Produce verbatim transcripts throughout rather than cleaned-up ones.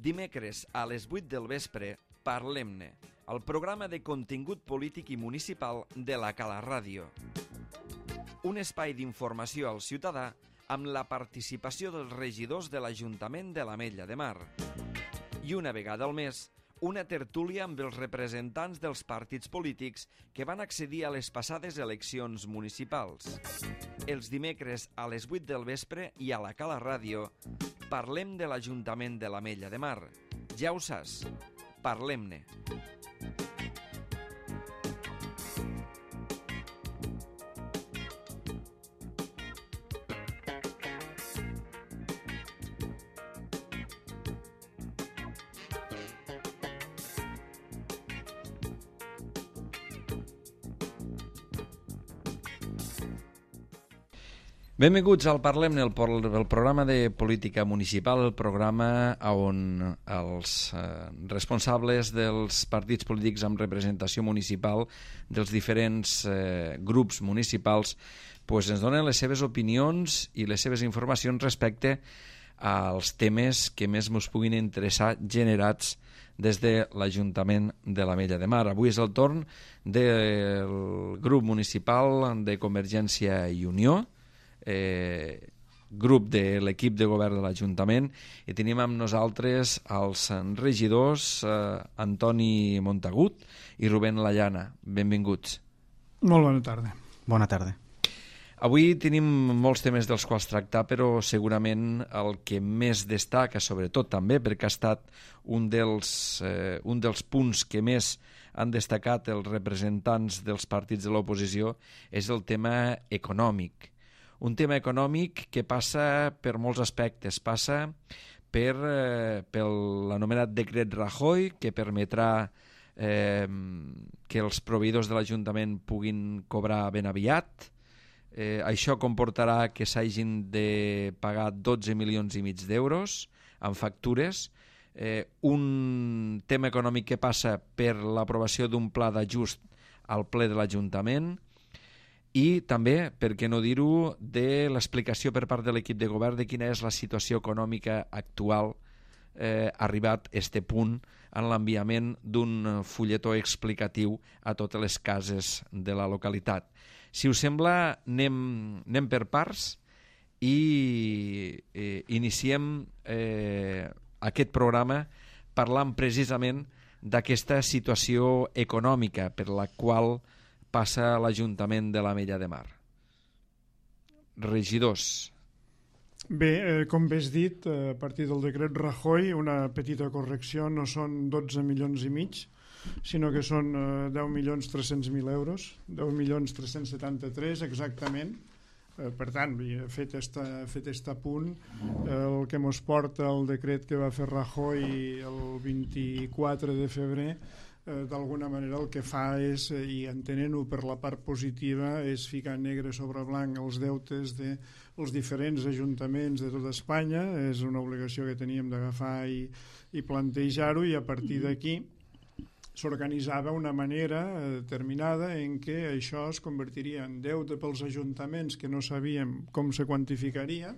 Dimecres a les vuit del vespre, Parlem-ne, el programa de contingut polític i municipal de la Cala Ràdio. Un espai d'informació al ciutadà amb la participació dels regidors de l'Ajuntament de l'Ametlla de Mar. I una vegada al mes, una tertúlia amb els representants dels partits polítics que van accedir a les passades eleccions municipals. Els dimecres a les vuit del vespre i a la Cala Ràdio parlem de l'Ajuntament de l'Ametlla de Mar. Ja ho saps, parlem-ne. Benvinguts al Parlem-ne, el, el programa de política municipal, el programa on els eh, responsables dels partits polítics amb representació municipal dels diferents eh, grups municipals pues, ens donen les seves opinions i les seves informacions respecte als temes que més ens puguin interessar generats des de l'Ajuntament de l'Ametlla de Mar. Avui és el torn del grup municipal de Convergència i Unió, Eh, grup de l'equip de govern de l'Ajuntament, i tenim amb nosaltres els regidors eh, Antoni Montagut i Rubén Layana. Benvinguts. Molt bona tarda. Bona tarda. Avui tenim molts temes dels quals tractar, però segurament el que més destaca, sobretot també perquè ha estat un dels, eh, un dels punts que més han destacat els representants dels partits de l'oposició, és el tema econòmic. Un tema econòmic que passa per molts aspectes. Passa per, eh, per l'anomenat decret Rajoy, que permetrà eh, que els proveïdors de l'Ajuntament puguin cobrar ben aviat. Eh, això comportarà que s'hagin de pagar dotze milions i mig d'euros en factures. Eh, un tema econòmic que passa per l'aprovació d'un pla d'ajust al ple de l'Ajuntament, i també, per què no dir-ho, de l'explicació per part de l'equip de govern de quina és la situació econòmica actual eh, arribat a este punt en l'enviament d'un fulletó explicatiu a totes les cases de la localitat. Si us sembla, anem, anem per parts i eh, iniciem eh, aquest programa parlant precisament d'aquesta situació econòmica per la qual passa l'Ajuntament de l'Ametlla de Mar. Regidors. Bé, eh, com bé has dit, a partir del decret Rajoy, una petita correcció, no són dotze milions i mig, sinó que són eh, deu milions tres-cents mil euros, deu milions tres-cents setanta-tres exactament. Eh, per tant, fet este, fet este punt, eh, el que mos porta el decret que va fer Rajoy el vint-i-quatre de febrer, Eh, d'alguna manera el que fa és, eh, i entenent-ho per la part positiva, és ficar negre sobre blanc els deutes dels diferents ajuntaments de tota Espanya. És una obligació que teníem d'agafar i, i plantejar-ho, i a partir d'aquí s'organitzava una manera determinada en què això es convertiria en deute pels ajuntaments que no sabíem com se quantificaria,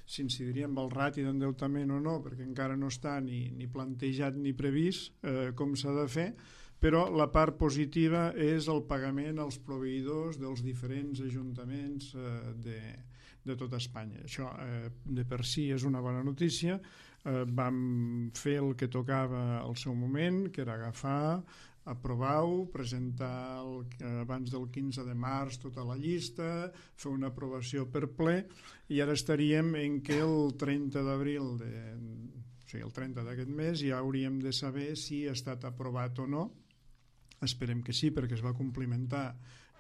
si incidiria amb el rati d'endeutament o no, perquè encara no està ni, ni plantejat ni previst eh, com s'ha de fer, però la part positiva és el pagament als proveïdors dels diferents ajuntaments eh, de, de tota Espanya. Això eh, de per si és una bona notícia. Eh, vam fer el que tocava al seu moment, que era agafar, aprovar-ho, presentar el, abans del quinze de març tota la llista, fer una aprovació per ple, i ara estaríem en què el trenta d'abril, de, o sigui, el trenta d'aquest mes, ja hauríem de saber si ha estat aprovat o no. Esperem que sí, perquè es va complimentar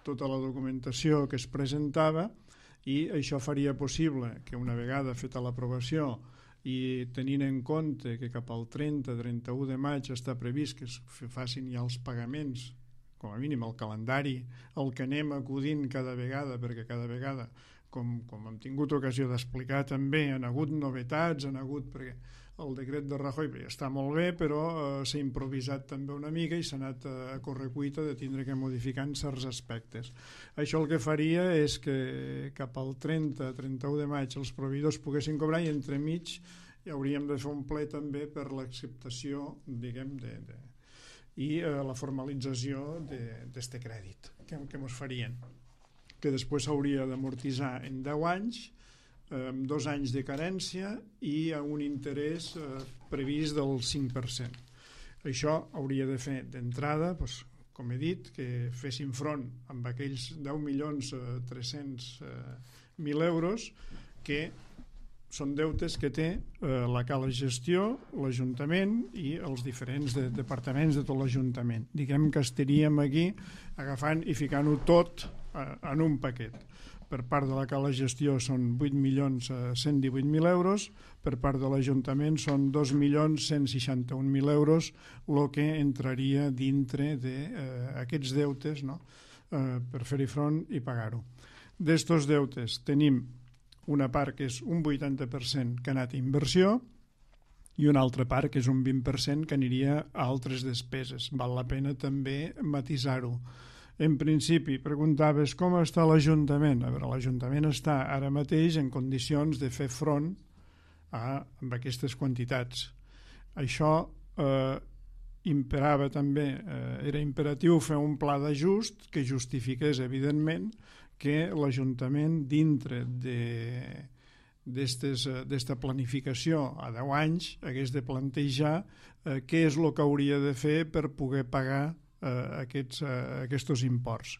tota la documentació que es presentava, i això faria possible que una vegada feta l'aprovació i tenint en compte que cap al trenta trenta-u de maig està previst que es facin ja els pagaments, com a mínim el calendari, el que anem acudint cada vegada, perquè cada vegada, com, com hem tingut ocasió d'explicar també, han hagut novetats, han hagut, perquè el decret de Rajoy bé, està molt bé, però eh, s'ha improvisat també una mica i s'ha anat a correcuita de tindre que modificar en certs aspectes. Això el que faria és que cap al trenta trenta-u de maig els proveïdors poguessin cobrar, i entremig i hauríem de fer un ple també per l'acceptació, diguem, de, de, i eh, la formalització d'aquest crèdit que, que ens farien, que després s'hauria d'amortitzar en deu anys, eh, amb dos anys de carència i a un interès eh, previst del cinc per cent. Això hauria de fer d'entrada, doncs, com he dit, que fessin front amb aquells deu milions tres-cents mil euros que són deutes que té eh, la Cala Gestió, l'Ajuntament i els diferents de, departaments de tot l'Ajuntament. Diguem que estaríem aquí agafant i ficant-ho tot eh, en un paquet. Per part de la Cala Gestió són vuit milions cent divuit mil euros, per part de l'Ajuntament són dos milions cent seixanta-un mil euros, el que entraria dintre d'aquests eh, deutes, no? eh, per fer-hi front i pagar-ho. D'estos deutes tenim una part que és un vuitanta per cent que ha anat a inversió i una altra part que és un vint per cent que aniria a altres despeses. Val la pena també matisar-ho. En principi, preguntaves com està l'Ajuntament. A veure, l'Ajuntament està ara mateix en condicions de fer front a, amb aquestes quantitats. Això eh, imperava també, eh, era imperatiu fer un pla d'ajust que justifiqués, evidentment, que l'Ajuntament, dintre d'esta planificació a deu anys, hagués de plantejar eh, què és el que hauria de fer per poder pagar aquests, aquests imports.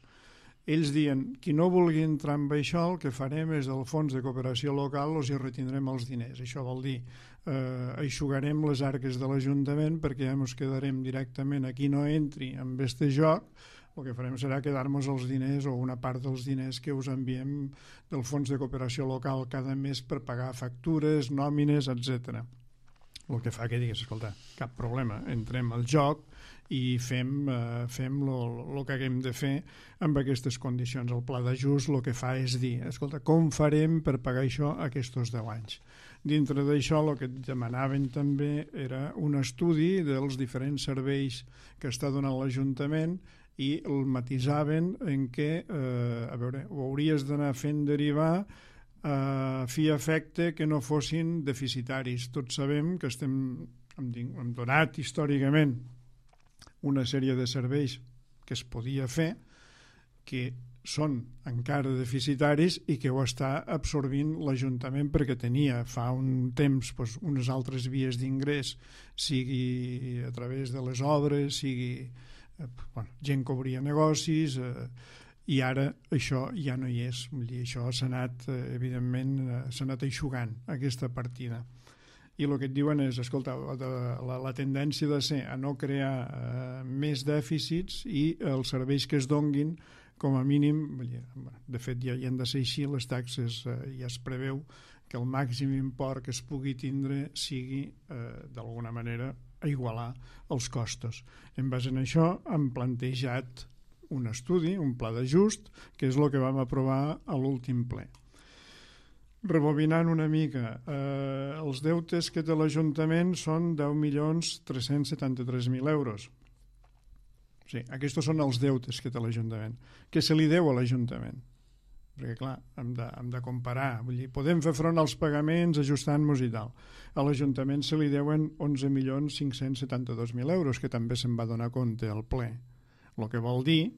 Ells diuen, qui no vulgui entrar amb això, el que farem és del fons de cooperació local els hi retindrem els diners. Això vol dir, eh, eixugarem les arques de l'Ajuntament perquè ja ens quedarem directament a qui no entri amb aquest joc. El que farem serà quedar-nos els diners o una part dels diners que us enviem del fons de cooperació local cada mes per pagar factures, nòmines, etcètera. El que fa que digues, escolta, cap problema, entrem al joc i fem, eh, fem el que haguem de fer amb aquestes condicions. El pla d'ajust el que fa és dir, escolta, com farem per pagar això aquests deu anys? Dintre d'això el que demanaven també era un estudi dels diferents serveis que està donant l'Ajuntament i el matisaven en què, eh, a veure, ho hauries d'anar fent derivar a fi efecte que no fossin deficitaris. Tots sabem que estem, hem, hem donat històricament una sèrie de serveis que es podia fer que són encara deficitaris i que ho està absorbint l'Ajuntament perquè tenia fa un temps doncs, unes altres vies d'ingrés, sigui a través de les obres, sigui eh, bueno, gent que obria negocis, eh, i ara això ja no hi és. Vull dir, això s'ha anat, evidentment, s'ha anat eixugant, aquesta partida. I el que et diuen és, escolta, la, la tendència de ser a no crear eh, més dèficits i els serveis que es donguin, com a mínim, de fet ja hi han de ser així, les taxes eh, ja es preveu que el màxim import que es pugui tindre sigui, eh, d'alguna manera, a igualar els costos. En base a això hem plantejat un estudi, un pla d'ajust, que és el que vam aprovar a l'últim ple. Rebobinant una mica, eh, els deutes que té l'Ajuntament són deu milions tres-cents setanta-tres mil euros. Sí, aquests són els deutes que té l'Ajuntament. Què se li deu a l'Ajuntament? Perquè, clar, hem de, hem de comparar. Vull dir, podem fer front als pagaments ajustant-nos i tal. A l'Ajuntament se li deuen onze milions cinc-cents setanta-dos mil euros, que també se'n va donar compte al ple. El que vol dir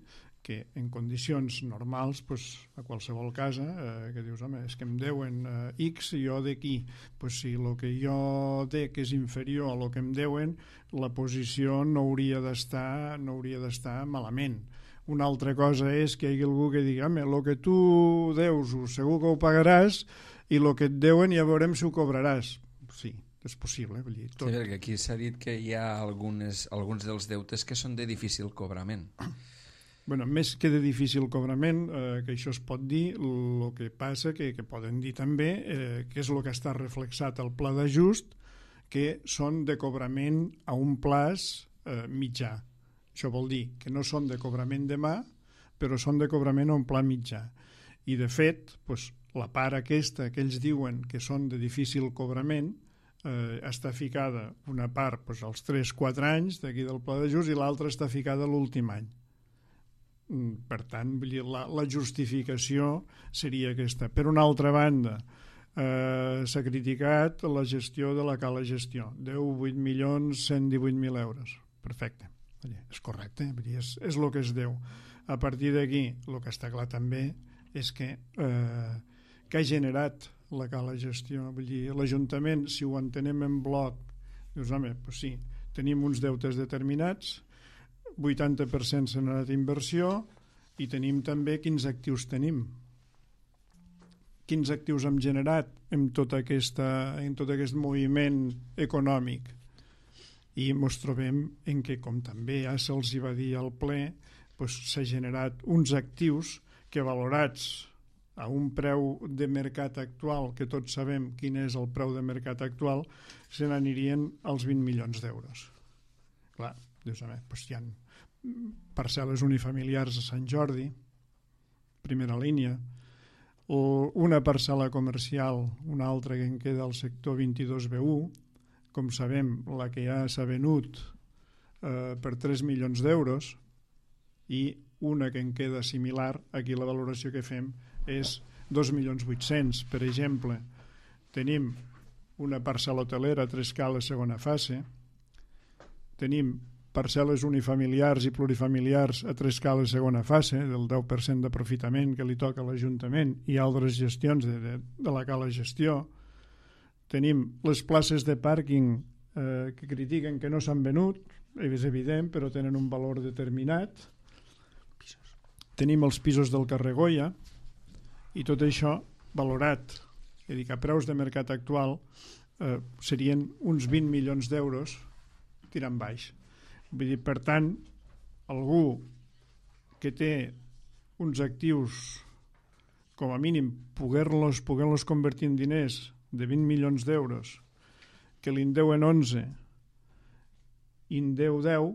que en condicions normals, pues, a qualsevol casa, eh, que dius, home, és que em deuen eh, X i jo d'aquí, pues, si el que jo dec és inferior a el que em deuen, la posició no hauria d'estar no hauria d'estar malament. Una altra cosa és que hi hagi algú que digui, home, el que tu deus segur que ho pagaràs i el que et deuen ja veurem si ho cobraràs. Sí, és possible. Vull dir, tot. Sí, perquè aquí s'ha dit que hi ha algunes, alguns dels deutes que són de difícil cobrament. Bueno, més que de difícil cobrament, eh, que això es pot dir, el que passa que, que poden dir també, eh, que és el que està reflexat al pla d'ajust, que són de cobrament a un plaç eh, mitjà. Això vol dir que no són de cobrament demà, però són de cobrament a un pla mitjà. I, de fet, doncs, la part aquesta que ells diuen que són de difícil cobrament, eh, està ficada una part doncs, als tres quatre anys d'aquí del pla d'ajust i l'altra està ficada a l'últim any. Per tant, la, la justificació seria aquesta. Per una altra banda, eh, s'ha criticat la gestió de la cala gestió, deu vuit milions cent divuit mil euros. Perfecte, és correcte, és, és el que es deu. A partir d'aquí, el que està clar també és que eh, que ha generat la cala gestió. Vull dir, l'Ajuntament, si ho entenem en bloc, dius, home, doncs sí, tenim uns deutes determinats, vuitanta per cent s'ha anat a inversió i tenim també quins actius tenim. Quins actius hem generat en tot, aquesta, en tot aquest moviment econòmic. I ens trobem en què, com també ja se'ls va dir al ple, doncs s'ha generat uns actius que valorats a un preu de mercat actual, que tots sabem quin és el preu de mercat actual, se n'anirien als vint milions d'euros. Clar, dius, a veure, doncs hi ha parcel·les unifamiliars a Sant Jordi, primera línia, o una parcel·la comercial, una altra que en queda al sector vint-i-dos B u, com sabem, la que ja s'ha venut eh, per tres milions d'euros, i una que en queda similar, aquí la valoració que fem és dos milions vuit-cents. Per exemple, tenim una parcel·la hotelera a tres cales segona fase, tenim parcel·les unifamiliars i plurifamiliars a tres cales segona fase, del deu per cent d'aprofitament que li toca a l'Ajuntament, i altres gestions de, de, de la cala gestió. Tenim les places de pàrquing eh, que critiquen que no s'han venut, és evident, però tenen un valor determinat. Tenim els pisos del carrer Goya, i tot això valorat, és a dir, que a preus de mercat actual eh, serien uns vint milions d'euros tirant baix. Vull dir, per tant, algú que té uns actius, com a mínim, poder-los poder-los convertir en diners de vint milions d'euros, que li en deuen onze i en deu deu,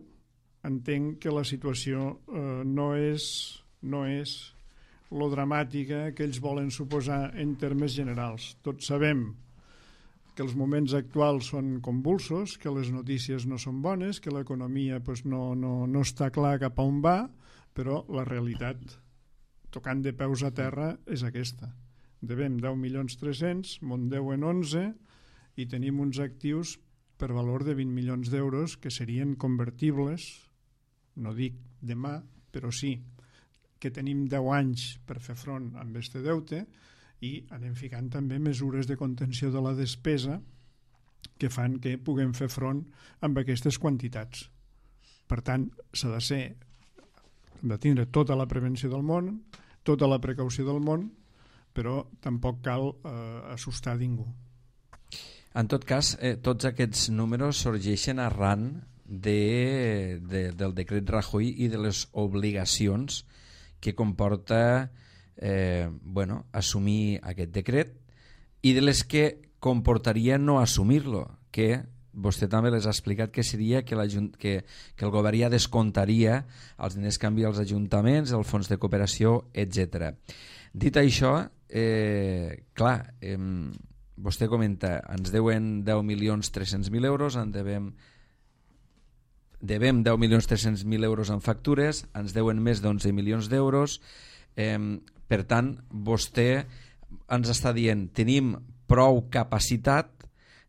entenc que la situació eh, no és, no és lo dramàtica que ells volen suposar en termes generals. Tots sabem que els moments actuals són convulsos, que les notícies no són bones, que l'economia pues, no, no, no està clar cap a on va, però la realitat, tocant de peus a terra, és aquesta. Devem deu milions tres-cents, m'en deuen onze, i tenim uns actius per valor de vint milions d'euros que serien convertibles, no dic demà, però sí, que tenim deu anys per fer front amb aquest deute, i anem ficant també mesures de contenció de la despesa que fan que puguem fer front amb aquestes quantitats. Per tant, s'ha de ser, hem de tindre tota la prevenció del món, tota la precaució del món, però tampoc cal eh, assustar ningú. En tot cas, eh, tots aquests números sorgeixen arran de, de, del decret Rajoy i de les obligacions que comporta eh, bueno, assumir aquest decret i de les que comportaria no assumir-lo, que vostè també les ha explicat que seria que, que, que el govern ja descomptaria els diners que envia als ajuntaments, el fons de cooperació, etcètera. Dit això, eh, clar, eh, vostè comenta, ens deuen deu milions tres-cents mil euros, en devem devem deu milions tres-cents mil euros en factures, ens deuen més d'onze milions d'euros, eh, per tant, vostè ens està dient, tenim prou capacitat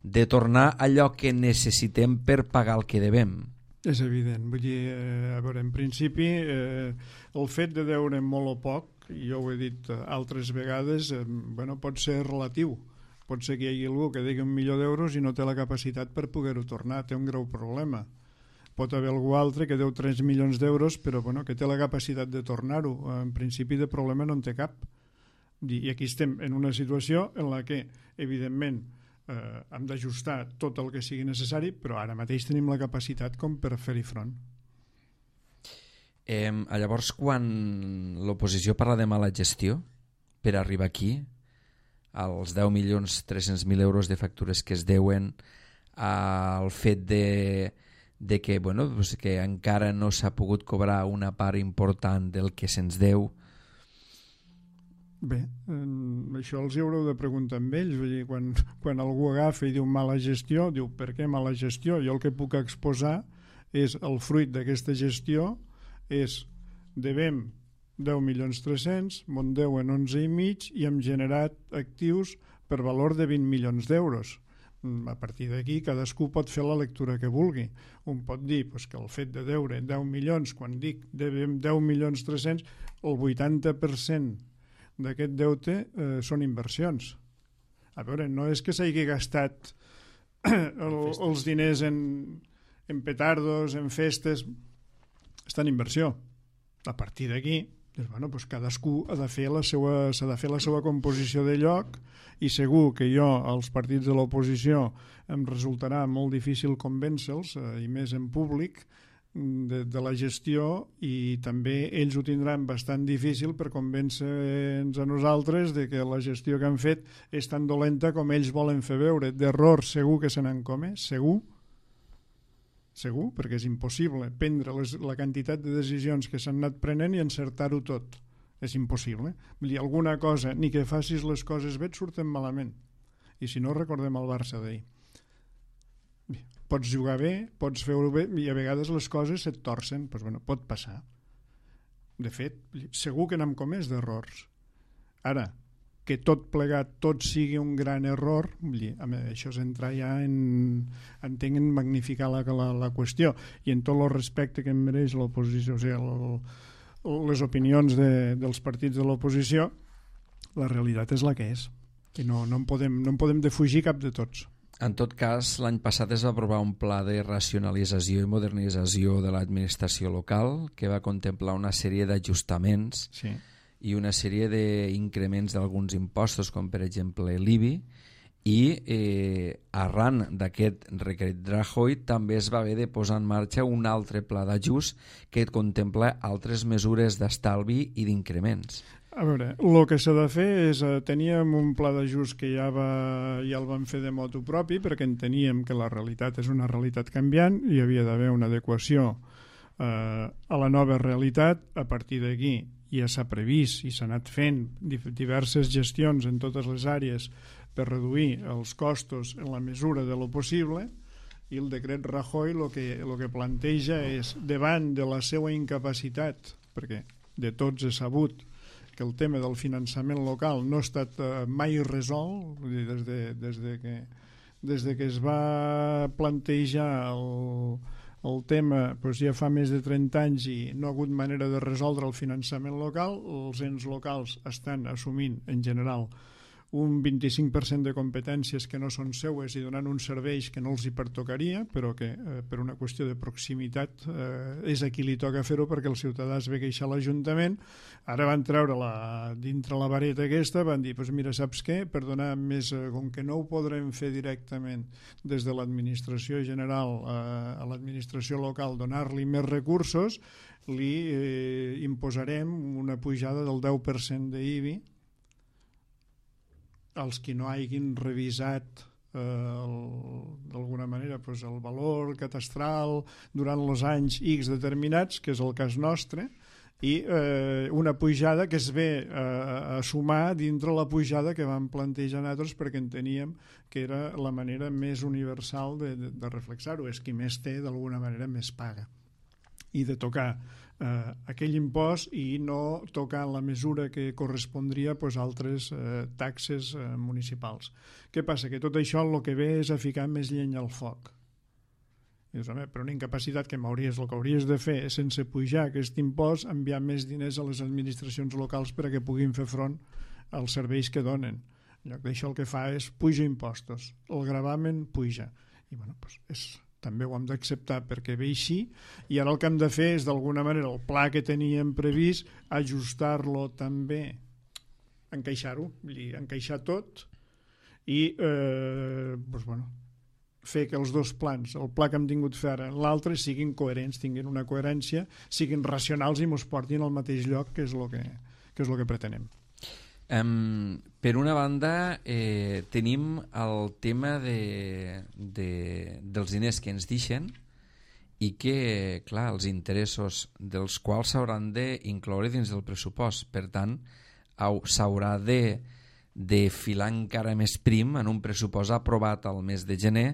de tornar allò que necessitem per pagar el que devem. És evident, vull dir, eh, a veure, en principi, eh, el fet de deure molt o poc, jo ho he dit altres vegades, eh, bueno, pot ser relatiu. Pot ser que hi hagi algú que digui un milió d'euros i no té la capacitat per poder-ho tornar, té un greu problema. Pot haver algú altre que deu tres milions d'euros però bueno, que té la capacitat de tornar-ho. En principi de problema no en té cap. I aquí estem en una situació en la que, evidentment, eh, hem d'ajustar tot el que sigui necessari, però ara mateix tenim la capacitat com per fer-hi front. Eh, llavors, quan l'oposició parla de mala gestió per arribar aquí, als deu milions tres-cents mil euros de factures que es deuen, al fet de de que, bueno, pues que encara no s'ha pogut cobrar una part important del que se'ns deu. Bé, eh, això els hi haureu de preguntar amb ells. Vull dir, quan, quan algú agafa i diu mala gestió, diu per què mala gestió? Jo el que puc exposar és el fruit d'aquesta gestió, és devem deu milions tres-cents, Mondeu en onze i mig i hem generat actius per valor de vint milions d'euros. A partir d'aquí cadascú pot fer la lectura que vulgui. Un pot dir pues, que el fet de deure deu milions, quan dic devem deu milions tres-cents, el vuitanta per cent d'aquest deute eh, són inversions. A veure, no és que s'hagi gastat el, els diners en, en petardos, en festes, està en inversió. A partir d'aquí, doncs, bueno, doncs cadascú ha de fer la seva, s'ha de fer la seva composició de lloc, i segur que jo, als partits de l'oposició, em resultarà molt difícil convèncer-los, eh, i més en públic, de, de la gestió, i també ells ho tindran bastant difícil per convèncer-nos a nosaltres de que la gestió que han fet és tan dolenta com ells volen fer veure. D'errors segur que se n'han comès, segur, segur, perquè és impossible prendre les, la quantitat de decisions que s'han anat prenent i encertar-ho tot. És impossible. Vull dir, alguna cosa, ni que facis les coses bé et surten malament. I si no, recordem el Barça d'ahir. Pots jugar bé, pots fer-ho bé, i a vegades les coses se't torcen. Pues, bueno, pot passar. De fet, segur que n'hem comès d'errors. Ara, que tot plegat, tot sigui un gran error, vull dir, això és entrar ja en, entenc, en magnificar la, la, la qüestió. I en tot el respecte que em mereix l'oposició, o sigui, el, les opinions de, dels partits de l'oposició, la realitat és la que és, i no, no, en podem, no en podem defugir cap de tots. En tot cas, l'any passat es va aprovar un pla de racionalització i modernització de l'administració local que va contemplar una sèrie d'ajustaments, sí, i una sèrie d'increments d'alguns impostos, com per exemple l'I B I, i eh, arran d'aquest decret Rajoy també es va haver de posar en marxa un altre pla d'ajust que contempla altres mesures d'estalvi i d'increments. A veure, el que s'ha de fer és, eh, teníem un pla d'ajust que ja, va, ja el vam fer de motu propi perquè enteníem que la realitat és una realitat canviant i hi havia d'haver una adequació eh, a la nova realitat. A partir d'aquí ja s'ha previst i s'ha anat fent diverses gestions en totes les àrees per reduir els costos en la mesura de lo possible, i el decret Rajoy el que, el que planteja és, davant de la seva incapacitat, perquè de tots és sabut que el tema del finançament local no ha estat eh, mai resolt, vull dir, des, de, des, de que, des de que es va plantejar el, el tema doncs ja fa més de trenta anys i no ha hagut manera de resoldre el finançament local. Els ens locals estan assumint en general un vint-i-cinc per cent de competències que no són seues i donant uns serveis que no els hi pertocaria, però que eh, per una qüestió de proximitat eh, és a qui li toca fer-ho, perquè el ciutadà es ve queixar a l'Ajuntament. Ara van treure la, dintre la vareta aquesta, van dir, pues mira, saps què? Per donar més, eh, com que no ho podrem fer directament des de l'administració general eh, a l'administració local, donar-li més recursos, li eh, imposarem una pujada del deu per cent d'I B I als qui no hagin revisat eh, d'alguna manera pues, el valor catastral durant els anys X determinats, que és el cas nostre, i eh, una pujada que es ve eh, a sumar dintre la pujada que vam plantejar nosaltres, perquè enteníem que era la manera més universal de, de, de reflexar-ho. És qui més té, d'alguna manera, més paga. I de tocar eh, aquell impost i no tocar en la mesura que correspondria pues, altres eh, taxes eh, municipals. Què passa? Que tot això el que ve és a ficar més llenya al foc. I dius, home, però una incapacitat que m'hauries, el que hauries de fer és, sense pujar aquest impost, enviar més diners a les administracions locals per a que puguin fer front als serveis que donen. En lloc d'això el que fa és puja impostos, el gravamen puja. I bueno, doncs és... també ho hem d'acceptar perquè ve així, i ara el que hem de fer és, d'alguna manera, el pla que teníem previst, ajustar-lo també, encaixar-ho, vull dir, encaixar tot, i eh, doncs, bueno, fer que els dos plans, el pla que hem tingut fer ara, l'altre, siguin coherents, tinguin una coherència, siguin racionals i mos portin al mateix lloc, que és el que, que, és el que pretenem. Um, per una banda eh, tenim el tema de, de, dels diners que ens deixen i que, clar, els interessos dels quals s'hauran d'incloure dins del pressupost. Per tant, s'haurà de, de filar encara més prim en un pressupost aprovat al mes de gener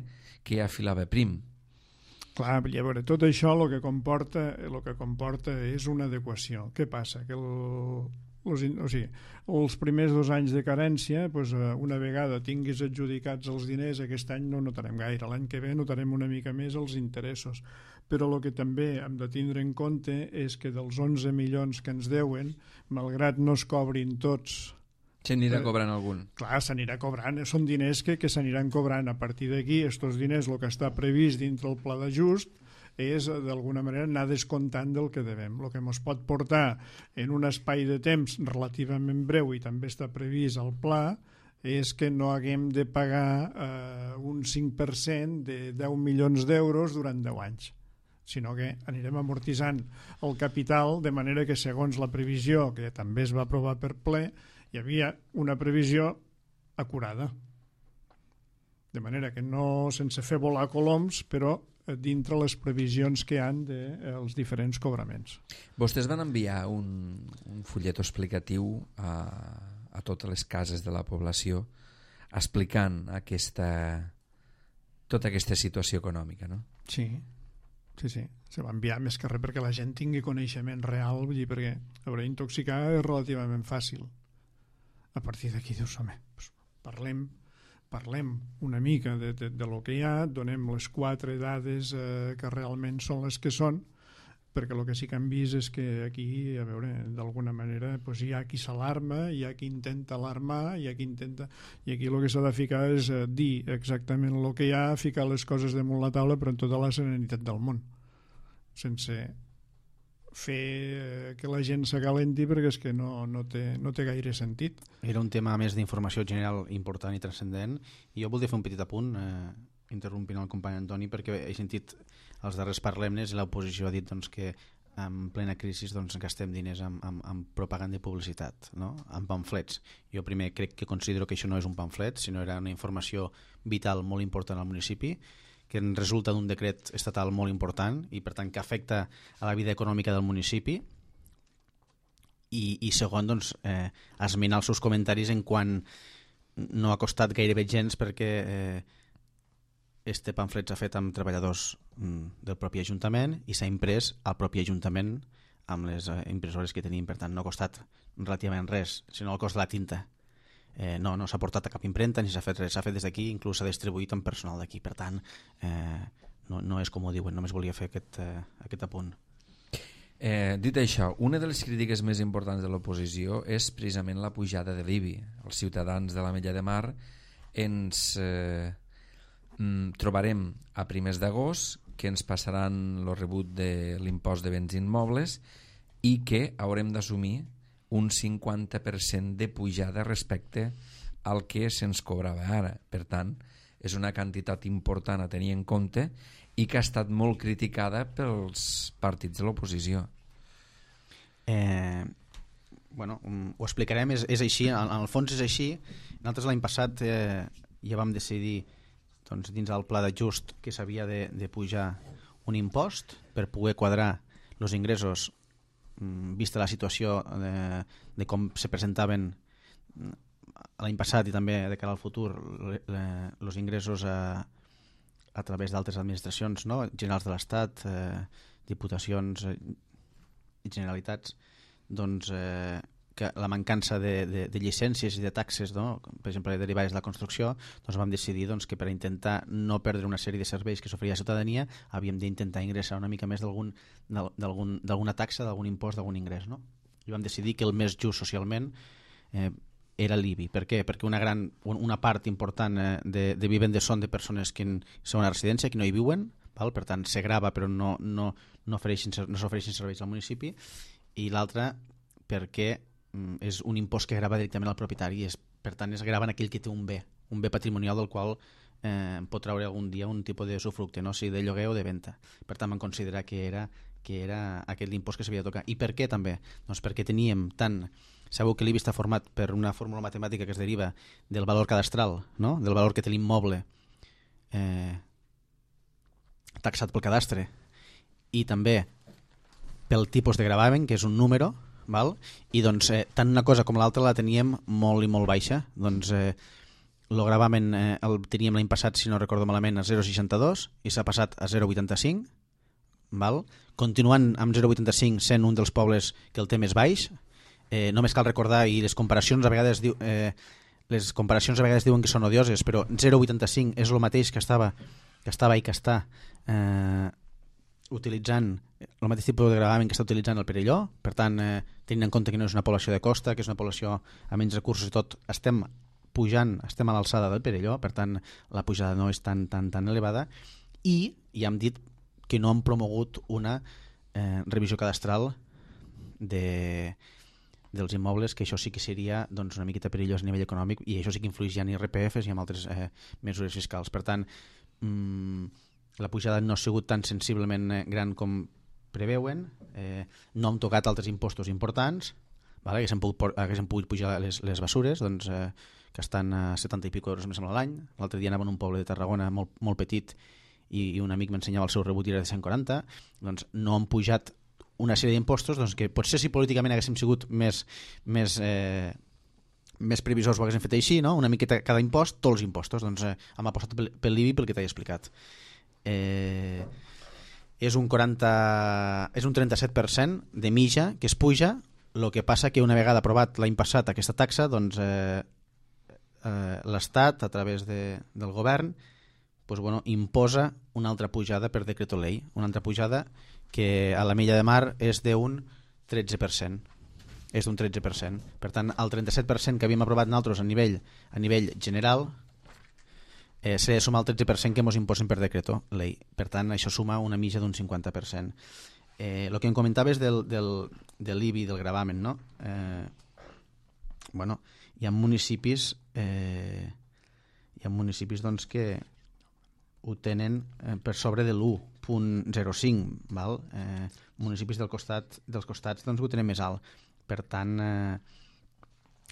que ja filava prim. Clar, a veure, tot això el que comporta, el que comporta és una adequació. Què passa? Que el, els, o sigui, els primers dos anys de carència, doncs, una vegada tinguis adjudicats els diners, aquest any no notarem gaire, l'any que ve notarem una mica més els interessos. Però el que també hem de tindre en compte és que dels onze milions que ens deuen, malgrat no es cobrin tots, se n'irà cobrant algun. Clar, s'anirà cobrant, són diners que, que s'aniran cobrant. A partir d'aquí, aquests diners, el que està previst dintre el pla d'ajust, és d'alguna manera anar descomptant del que devem. El que ens pot portar en un espai de temps relativament breu, i també està previst al pla, és que no haguem de pagar eh, un cinc per cent de deu milions d'euros durant deu anys, sinó que anirem amortitzant el capital, de manera que segons la previsió, que també es va aprovar per ple, hi havia una previsió acurada. De manera que no sense fer volar coloms, però dintre les previsions que hi han dels diferents cobraments. Vostès van enviar un, un fullet explicatiu a, a totes les cases de la població explicant aquesta, tota aquesta situació econòmica, no? Sí, sí, sí. Se va enviar més que res perquè la gent tingui coneixement real, vull dir, perquè haurà intoxicar és relativament fàcil. A partir d'aquí dius, home, doncs parlem, parlem una mica de, de, de lo que hi ha, donem les quatre dades eh, que realment són les que són, perquè el que sí que hem vist és que aquí, a veure, d'alguna manera doncs hi ha qui s'alarma, hi ha qui intenta alarmar, hi ha qui intenta... I aquí el que s'ha de ficar és eh, dir exactament el que hi ha, ficar les coses damunt la taula, però en tota la serenitat del món, sense fer que la gent s'acalenti, perquè és que no, no, té, no té gaire sentit. Era un tema més d'informació general important i transcendent, i jo voldria fer un petit apunt, eh, interrompint el company Antoni, perquè he sentit els darrers parlemnes i l'oposició ha dit doncs, que en plena crisi doncs, gastem diners en, en, en propaganda i publicitat, no? En pamflets. Jo primer crec que considero que això no és un pamflet, sinó era una informació vital molt important al municipi, que en resulta d'un decret estatal molt important i per tant que afecta a la vida econòmica del municipi, i, i segon, doncs, eh, esmenar els seus comentaris en quan no ha costat gairebé gens, perquè eh, este pamflet s'ha fet amb treballadors mm, del propi Ajuntament i s'ha imprès al propi Ajuntament amb les eh, impressores que tenim, per tant no ha costat relativament res, sinó el cost de la tinta. Eh, no no s'ha portat a cap impremta ni s'ha fet res, s'ha fet des d'aquí, inclús s'ha distribuït amb personal d'aquí, per tant eh, no, no és com ho diuen, només volia fer aquest, eh, aquest apunt. Eh, dit això, una de les crítiques més importants de l'oposició és precisament la pujada de l'I B I. Els ciutadans de l'Ametlla de Mar ens eh, trobarem a primers d'agost que ens passaran el rebut de l'impost de béns immobles i que haurem d'assumir un cinquanta per cent de pujada respecte al que se'ns cobrava ara. Per tant, és una quantitat important a tenir en compte i que ha estat molt criticada pels partits de l'oposició. Eh, bueno, ho explicarem, és, és així, en, en el fons és així. Nosaltres l'any passat eh, ja vam decidir doncs, dins del pla d'ajust que s'havia de, de pujar un impost per poder quadrar els ingressos vista la situació de, de com se presentaven l'any passat i també de cara al futur els ingressos a, a través d'altres administracions, no? Generals de l'Estat, eh, diputacions i eh, generalitats, doncs eh, que la mancança de, de, de llicències i de taxes, no? Per exemple, derivades de la construcció, doncs vam decidir doncs, que per intentar no perdre una sèrie de serveis que s'oferia a la ciutadania havíem d'intentar ingressar una mica més d'alguna taxa, d'algun impost, d'algun ingrés, no? I vam decidir que el més just socialment eh, era l'I B I. Per què? Perquè una, gran, una part important eh, de, de vivendes són de persones que són a residència, que no hi viuen, val? Per tant se grava però no, no, no s'ofereixen no serveis al municipi, i l'altra perquè és un impost que grava directament al propietari, és, per tant es grava en aquell que té un bé, un bé patrimonial del qual eh, pot treure algun dia un tipus de usufructe, no? Si de lloguer o de venda. Per tant vam considerar que era, que era aquest l'impost que s'havia de tocar. I per què també? Doncs perquè teníem tant... Sabeu que l'I B I està format per una fórmula matemàtica que es deriva del valor cadastral, no? Del valor que té l'immoble eh, taxat pel cadastre, i també pel tipus de gravamen, que és un número, val? I doncs eh, tant una cosa com l'altra la teníem molt i molt baixa. Doncs eh, el gravamen eh, el teníem l'any passat, si no recordo malament, a zero coma seixanta-dos i s'ha passat a zero coma vuitanta-cinc, val? Continuant amb zero coma vuitanta-cinc sent un dels pobles que el té més baix. Eh, només cal recordar, i les comparacions a vegades diu, eh, les comparacions a vegades diuen que són odioses, però zero coma vuitanta-cinc és el mateix que estava que estava i que està eh, utilitzant el mateix tipus de gravamen que està utilitzant el Perelló. Per tant, eh, tenint en compte que no és una població de costa, que és una població amb menys recursos i tot, estem pujant, estem a l'alçada del Perelló, per tant la pujada no és tan, tan, tan elevada, i ja hem dit que no han promogut una eh, revisió cadastral de, dels immobles, que això sí que seria doncs, una miqueta perillós a nivell econòmic, i això sí que influeix ja en I R P Fs i en altres eh, mesures fiscals. Per tant, mmm, la pujada no ha sigut tan sensiblement gran com preveuen, eh, no hem tocat altres impostos importants, vale? Haguéssim pogut, haguéssim pogut pujar les, les bessures, doncs, eh, que estan a setanta i pico euros més a l'any. L'altre dia anava en un poble de Tarragona molt, molt petit i, i un amic m'ensenyava el seu rebut i era de cent quaranta. Doncs no han pujat una sèrie d'impostos doncs, que potser si políticament haguéssim sigut més, més, eh, més previsors ho haguéssim fet així, no? Una miqueta cada impost, tots els impostos. Doncs eh, hem apostat pel, pel l'I B I pel que t'he explicat. Eh, és un quaranta, és un trenta-set per cent de mitja que es puja. El que passa que una vegada aprovat l'any passat aquesta taxa, doncs eh, eh, l'Estat a través de, del govern pues, bueno, imposa una altra pujada per decreto llei, una altra pujada que a la Mella de Mar és d'un tretze per cent, és d'un tretze per cent. Per tant, el trenta-set per cent que havíem aprovat nosaltres a nivell, a nivell general eh, s'ha de sumar el tretze per cent que ens imposen per decreto llei. Per tant, això suma una mitja d'un cinquanta per cent. Eh, el que em comentaves del, del, de l'I B I, del gravamen, no? Eh, bueno, hi ha municipis eh, hi ha municipis doncs, que ho tenen eh, per sobre de l'u coma zero cinc, val? Eh, municipis del costat, dels costats doncs, ho tenen més alt. Per tant, eh,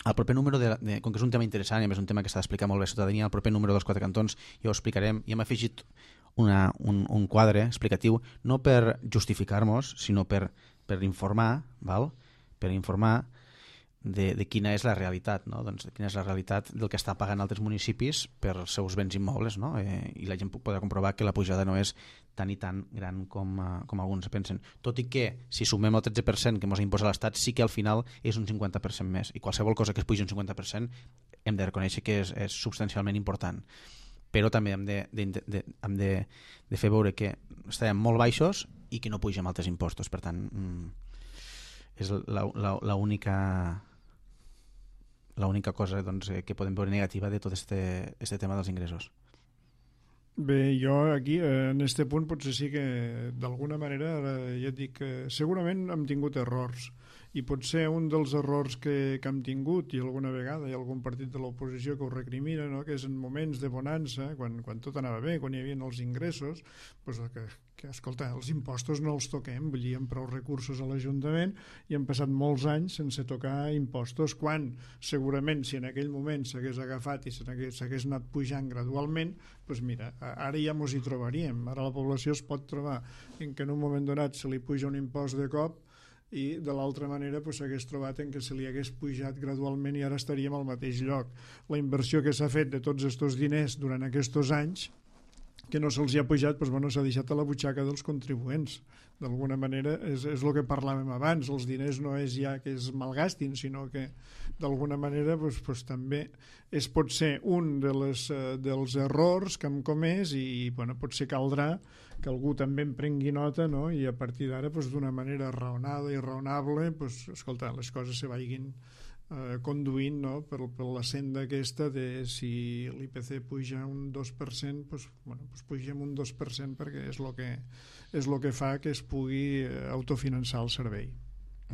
el proper número, de, de, com que és un tema interessant i és un tema que s'ha d'explicar molt bé a la ciutadania, el proper número dels quatre cantons ja ho explicarem, i hem afegit una, un, un quadre explicatiu no per justificar-nos, sinó per, per informar, val? Per informar de, de quina és la realitat, no? Doncs de quina és la realitat del que està pagant altres municipis per els seus béns immobles, no? Eh, i la gent podrà comprovar que la pujada no és tan i tan gran com, uh, com alguns pensen. Tot i que, si sumem el tretze per cent que ens imposa l'Estat, sí que al final és un cinquanta per cent més, i qualsevol cosa que es pugi un cinquanta per cent hem de reconèixer que és, és substancialment important. Però també hem de, de, de, hem de, de fer veure que estarem molt baixos i que no pugem altres impostos. Per tant, és l'única l'única cosa doncs, que podem veure negativa de tot este, este tema dels ingressos. Bé, jo aquí, en este punt, potser sí que d'alguna manera, ja et dic que segurament hem tingut errors, i potser un dels errors que, que hem tingut, i alguna vegada hi ha algun partit de l'oposició que ho recrimina, no? Que és en moments de bonança, quan, quan tot anava bé, quan hi havia els ingressos, doncs que, que, escolta, els impostos no els toquem, vull dir, amb prou recursos a l'Ajuntament, i han passat molts anys sense tocar impostos, quan segurament si en aquell moment s'hagués agafat i s'hagués anat pujant gradualment, doncs mira, ara ja mos hi trobaríem. Ara la població es pot trobar en que en un moment donat se li puja un impost de cop, i de l'altra manera s'hagués pues, trobat en què se li hagués pujat gradualment i ara estaríem al mateix lloc. La inversió que s'ha fet de tots aquests diners durant aquests anys, que no se'ls ha pujat, pues, bueno, s'ha deixat a la butxaca dels contribuents. D'alguna manera és, és el que parlàvem abans, els diners no és ja que es malgastin, sinó que d'alguna manera pues, pues, també és potser un de les, uh, dels errors que hem comès, i, i bueno, potser caldrà que algú també en prengui nota, no? I a partir d'ara pues, d'una manera raonada i raonable pues, escolta, les coses se vagin eh, conduint, no? per, per la senda aquesta de si l'I P C puja un dos per cent, pues, bueno, pues pugem un dos per cent perquè és el que, és el que fa que es pugui autofinançar el servei.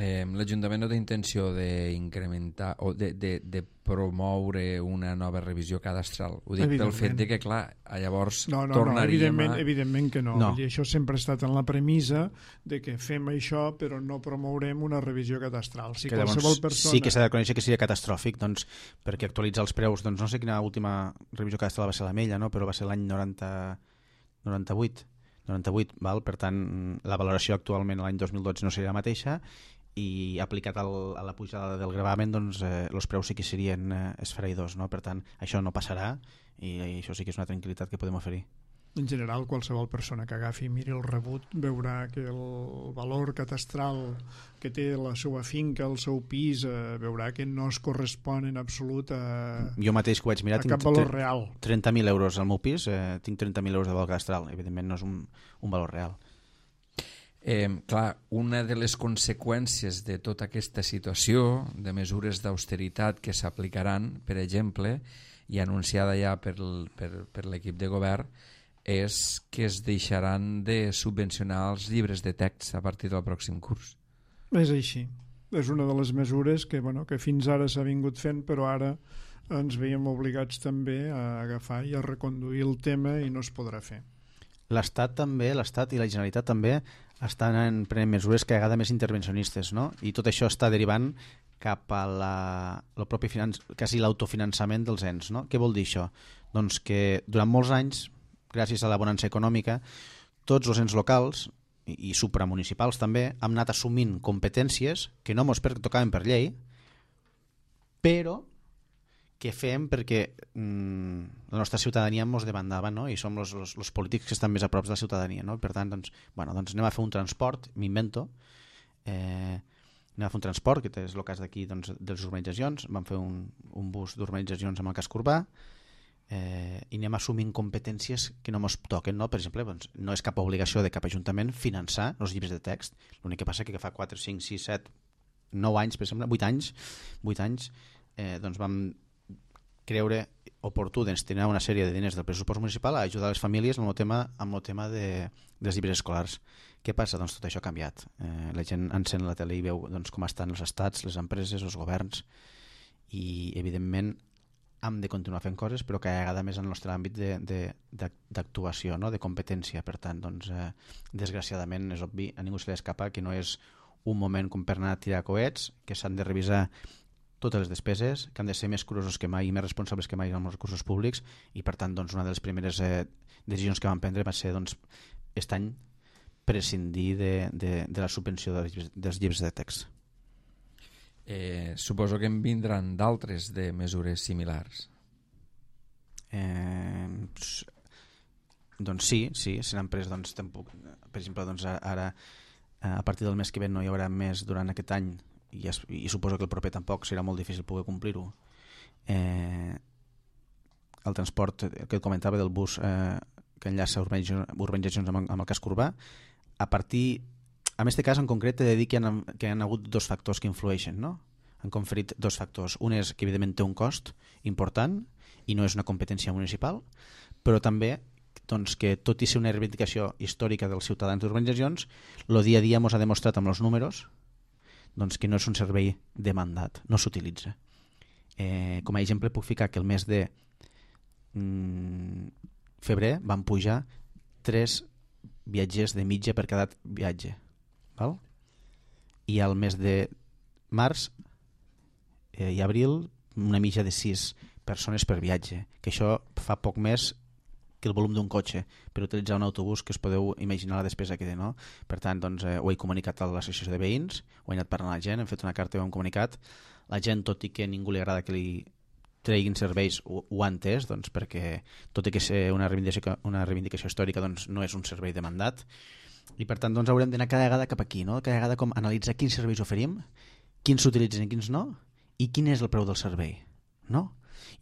Eh, L'Ajuntament no té intenció d'incrementar o de, de, de promoure una nova revisió cadastral. Ho dic pel fet de que, clar, llavors no, no, tornaríem no, evidentment, a... evidentment que no. no. I això sempre ha estat en la premissa de que fem això però no promourem una revisió cadastral. Si que qualsevol llavors, persona... sí que s'ha de reconèixer que seria catastròfic, doncs, perquè actualitzar els preus, doncs no sé quina última revisió cadastral va ser la Mella, no? Però va ser l'any noranta, noranta-vuit, noranta-vuit, val? Per tant, la valoració actualment l'any dos mil dotze no seria la mateixa, i aplicat al, a la pujada del gravamen, doncs eh, els preus sí que serien eh, esfereïdors, no? Per tant, això no passarà i, i això sí que és una tranquil·litat que podem oferir. En general, qualsevol persona que agafi i miri el rebut veurà que el valor catastral que té la seva finca, el seu pis, eh, veurà que no es correspon en absolut a, jo mateix que ho vaig mirar, a cap valor real. trenta mil euros al meu pis, eh, tinc trenta mil euros de valor catastral, evidentment no és un, un valor real. Eh, clar, una de les conseqüències de tota aquesta situació, de mesures d'austeritat que s'aplicaran, per exemple, i anunciada ja per, per, per l'equip de govern, és que es deixaran de subvencionar els llibres de text a partir del pròxim curs. És així. És una de les mesures que, bueno, que fins ara s'ha vingut fent, però ara ens veiem obligats també a agafar i a reconduir el tema i no es podrà fer. L'Estat també, l'Estat i la Generalitat també estan prenent mesures cada vegada més intervencionistes, no? I tot això està derivant cap a la, el propi finanç, quasi l'autofinançament dels ens, no? Què vol dir això? Doncs que durant molts anys, gràcies a la bonança econòmica, tots els ens locals i, i supramunicipals també han anat assumint competències que no mos pertocaven per llei, però que fem perquè mm, la nostra ciutadania mos demandava, no? I som els polítics que estan més a prop de la ciutadania, no? Per tant, doncs, bueno, doncs anem a fer un transport, m'invento, eh, anem a fer un transport, que és el cas d'aquí, doncs, de les urbanitzacions, vam fer un, un bus d'urbanitzacions amb el casc urbà, eh, i anem assumint competències que no ens toquen, no? Per exemple, doncs, no és cap obligació de cap ajuntament finançar els llibres de text, l'únic que passa que fa quatre, cinc, sis, set, nou anys, per exemple, vuit anys, vuit anys, eh, doncs vam creure oportú destinar una sèrie de diners del pressupost municipal a ajudar les famílies amb el tema, amb el tema de, dels llibres escolars. Què passa? Doncs tot això ha canviat. Eh, la gent encén la tele i veu doncs, com estan els estats, les empreses, els governs, i evidentment hem de continuar fent coses, però cada vegada més en el nostre àmbit d'actuació, no? De competència. Per tant, doncs, eh, desgraciadament, és obvi, a ningú se li escapa que no és un moment com per anar a tirar coets, que s'han de revisar totes les despeses, que han de ser més curosos que mai i més responsables que mai amb els recursos públics, i per tant, doncs, una de les primeres eh, decisions que vam prendre va ser, doncs, aquest any prescindir de, de, de la subvenció dels llibres, dels llibres de text. Eh, suposo que en vindran d'altres de mesures similars. Eh, doncs sí, sí, s'han pres, doncs, tampoc, per exemple, doncs, ara a partir del mes que ve no hi haurà més durant aquest any, i, es, i suposo que el proper tampoc serà molt difícil poder complir-ho. Eh, el transport que et comentava del bus eh, que enllaça urbanitzacions amb, amb el casc urbà, a partir, en aquest cas en concret he de dir que hi ha, que hi ha hagut dos factors que influeixen, no? Han conferit dos factors. Un és que evidentment té un cost important i no és una competència municipal, però també doncs, que tot i ser una reivindicació històrica dels ciutadans d'urbanitzacions, el dia a dia ens ha demostrat amb els números doncs, que no és un servei demandat, no s'utilitza. Eh, com a exemple puc ficar que el mes de mm, febrer van pujar tres viatgers de mitja per cada viatge, val? I al mes de març eh, i abril una mitja de sis persones per viatge, que això fa poc més que el volum d'un cotxe per utilitzar un autobús, que us podeu imaginar la despesa que té, no? Per tant, doncs, eh, ho he comunicat a l'associació de veïns, ho he anat parlant a la gent, hem fet una carta i ho hem comunicat. La gent, tot i que a ningú li agrada que li treguin serveis, ho, ho ha entès, doncs, perquè tot i que ser una reivindicació, una reivindicació històrica, doncs, no és un servei demandat, i per tant doncs, haurem d'anar cada vegada cap aquí, no? Cada vegada com analitzar quins serveis oferim, quins s'utilitzen i quins no, i quin és el preu del servei, no?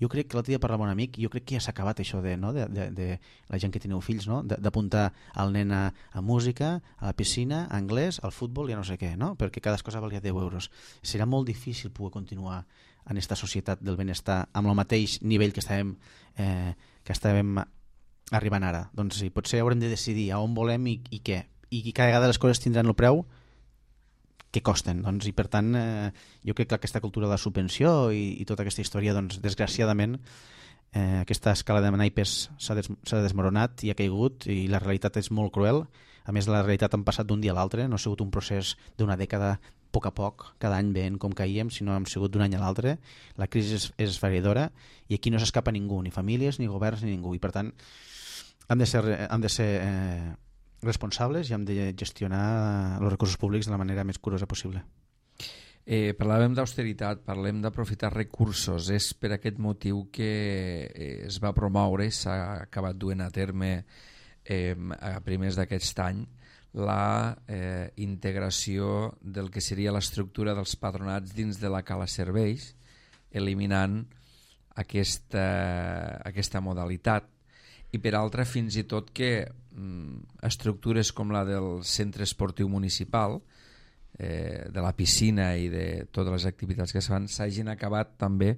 Jo crec que l'altre dia parlava un amic, jo crec que ja s'ha acabat això de, no? de, de, de la gent que teniu fills, no? D'apuntar el nen a, a música, a la piscina, a anglès, al futbol i a no sé què, no? Perquè cada cosa valia deu euros. Serà molt difícil poder continuar en aquesta societat del benestar amb el mateix nivell que estàvem, eh, que estàvem arribant ara. Doncs sí, potser haurem de decidir a on volem i, i què. I cada vegada les coses tindran el preu que costen, doncs, i per tant eh, jo crec que aquesta cultura de la subvenció i, i tota aquesta història, doncs, desgraciadament eh, aquesta escala de naipes s'ha des, desmoronat i ha caigut, i la realitat és molt cruel. A més, la realitat han passat d'un dia a l'altre, no ha sigut un procés d'una dècada, a poc a poc, cada any veient com caíem, sinó hem sigut d'un any a l'altre. La crisi és, és esfereïdora i aquí no s'escapa ningú, ni famílies, ni governs, ni ningú, i per tant hem de ser, hem de ser eh, responsables i hem de gestionar els recursos públics de la manera més curosa possible. Eh, parlàvem d'austeritat, parlem d'aprofitar recursos. És per aquest motiu que eh, es va promoure i s'ha acabat duent a terme eh, a primers d'aquest any la eh, integració del que seria l'estructura dels patronats dins de la cala serveis, eliminant aquesta, aquesta modalitat, i per altra fins i tot que mm, estructures com la del centre esportiu municipal, eh, de la piscina i de totes les activitats que es fan s'hagin acabat també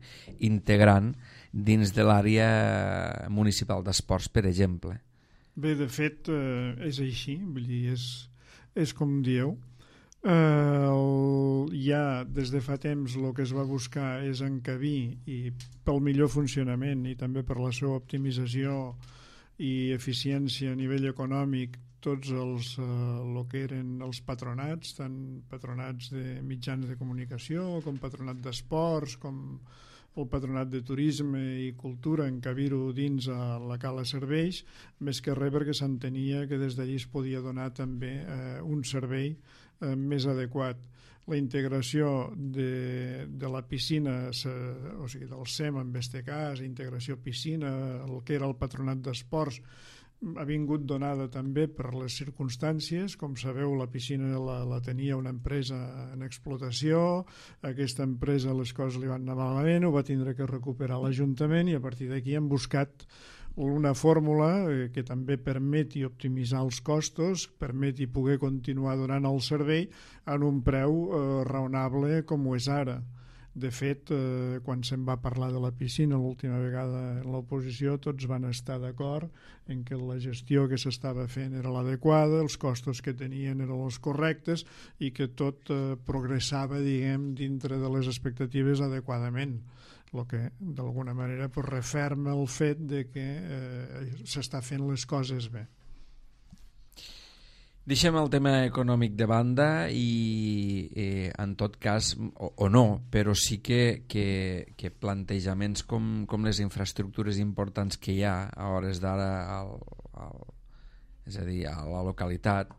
integrant dins de l'àrea municipal d'esports, per exemple. Bé, de fet, eh, és així, vull dir, és, és com dieu. Eh, el, ja des de fa temps el que es va buscar és encabir, i pel millor funcionament i també per la seva optimització i eficiència a nivell econòmic, tots els eh, lo que eren els patronats, tant patronats de mitjans de comunicació com patronat d'esports, com el patronat de turisme i cultura, encabir-ho dins a la cala serveis, més que res perquè s'entenia que des d'allí es podia donar també eh, un servei eh, més adequat. La integració de, de la piscina, o sigui, del S E M en este cas, integració piscina, el que era el patronat d'esports, ha vingut donada també per les circumstàncies. Com sabeu, la piscina la, la tenia una empresa en explotació, aquesta empresa les coses li van anar malament, ho va tindre que recuperar l'Ajuntament i a partir d'aquí hem buscat una fórmula que també permeti optimitzar els costos, permeti poder continuar donant el servei en un preu eh, raonable com ho és ara. De fet, eh, quan se'n va parlar de la piscina l'última vegada en l'oposició, tots van estar d'acord en que la gestió que s'estava fent era l'adequada, els costos que tenien eren els correctes i que tot eh, progressava, diguem, dintre de les expectatives adequadament, el que d'alguna manera pues, referma el fet de que eh, s'està fent les coses bé. Deixem el tema econòmic de banda i eh, en tot cas, o, o no, però sí que, que, que plantejaments com, com les infraestructures importants que hi ha a hores d'ara, al, al, és a dir, a la localitat,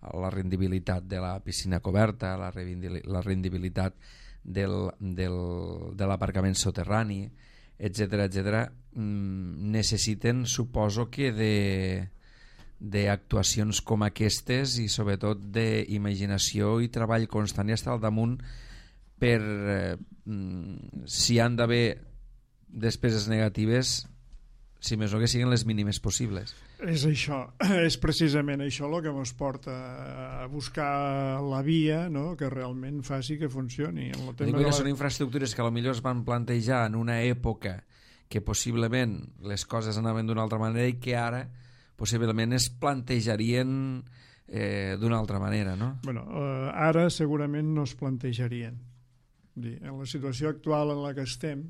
a la rendibilitat de la piscina coberta, la, la rendibilitat del, del, de l'aparcament soterrani, etcètera, etcètera, necessiten, suposo que de... d'actuacions com aquestes i sobretot d'imaginació i treball constant i estar al damunt per eh, si han d'haver despeses negatives, si més no que siguin les mínimes possibles. És això, és precisament això el que ens porta a buscar la via, no?, que realment faci que funcioni. En el tema Dic que la... són infraestructures que potser es van plantejar en una època que possiblement les coses anaven d'una altra manera i que ara possiblement es plantejarien eh, d'una altra manera, no? Bueno, eh, ara segurament no es plantejarien. En la situació actual en la que estem,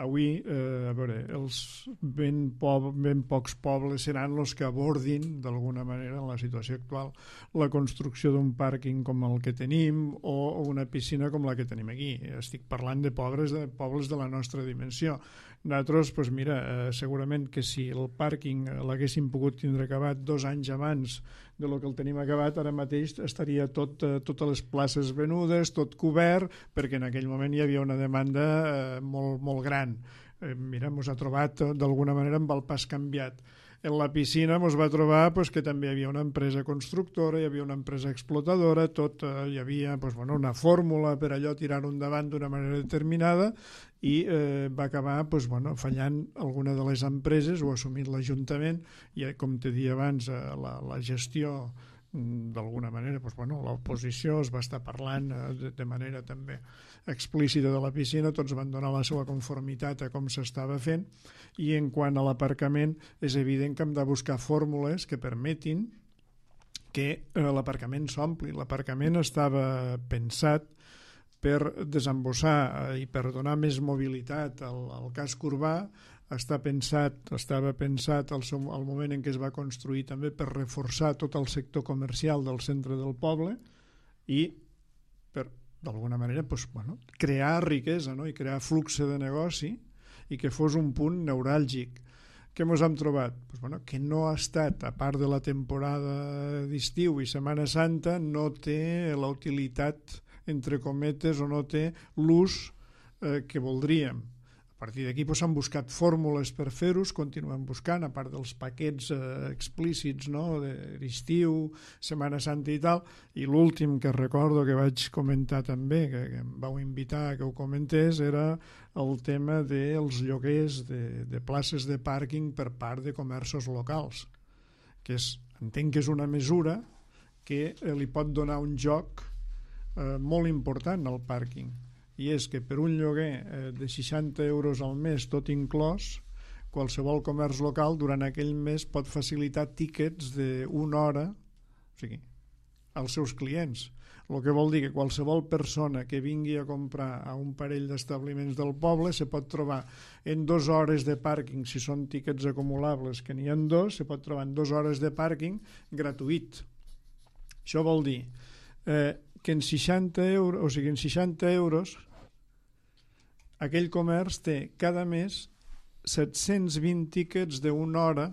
avui, eh, a veure, els ben, po ben pocs pobles seran els que abordin, d'alguna manera, en la situació actual, la construcció d'un pàrquing com el que tenim o una piscina com la que tenim aquí. Estic parlant de pobres de pobles de la nostra dimensió. Nosaltres, doncs mira, eh, segurament que si el pàrquing l'haguéssim pogut tindre acabat dos anys abans de lo que el tenim acabat, ara mateix estaria tot, eh, totes les places venudes, tot cobert, perquè en aquell moment hi havia una demanda eh, molt, molt gran. Eh, mira, ens ha trobat eh, d'alguna manera amb el pas canviat. En la piscina ens va trobar pues, que també hi havia una empresa constructora, hi havia una empresa explotadora, tot, eh, hi havia pues, bueno, una fórmula per allò tirar-ho endavant d'una manera determinada i eh, va acabar pues, bueno, fallant alguna de les empreses, ho ha assumit l'Ajuntament i, com te dia abans, eh, la, la gestió d'alguna manera, doncs, bueno, l'oposició es va estar parlant eh, de, de manera també explícita de la piscina, tots van donar la seva conformitat a com s'estava fent, i en quant a l'aparcament és evident que hem de buscar fórmules que permetin que eh, l'aparcament s'ompli. L'aparcament estava pensat per desembossar eh, i per donar més mobilitat al, al casc urbà. Està pensat, estava pensat al, seu, al moment en què es va construir també per reforçar tot el sector comercial del centre del poble i per, d'alguna manera, doncs, bueno, crear riquesa, no?, i crear flux de negoci i que fos un punt neuràlgic. Què ens hem trobat? Pues, bueno, que no ha estat, a part de la temporada d'estiu i Setmana Santa, no té la utilitat entre cometes, o no té l'ús eh, que voldríem. A partir d'aquí doncs, s'han buscat fórmules per fer-ho, continuem buscant, a part dels paquets eh, explícits, no? d'estiu, Setmana Santa i tal, i l'últim que recordo que vaig comentar també, que, que em vau invitar a que ho comentés, era el tema dels lloguers de, de places de pàrquing per part de comerços locals, que és, entenc que és una mesura que eh, li pot donar un joc eh, molt important al pàrquing, i és que per un lloguer eh, de seixanta euros al mes tot inclòs, qualsevol comerç local durant aquell mes pot facilitar tíquets d'una hora, o sigui, als seus clients, el que vol dir que qualsevol persona que vingui a comprar a un parell d'establiments del poble se pot trobar en dues hores de pàrquing, si són tíquets acumulables, que n'hi ha dos, se pot trobar en dues hores de pàrquing gratuït. Això vol dir eh, que en seixanta euros, o sigui, en seixanta euros aquell comerç té cada mes set-cents vint tíquets d'una hora,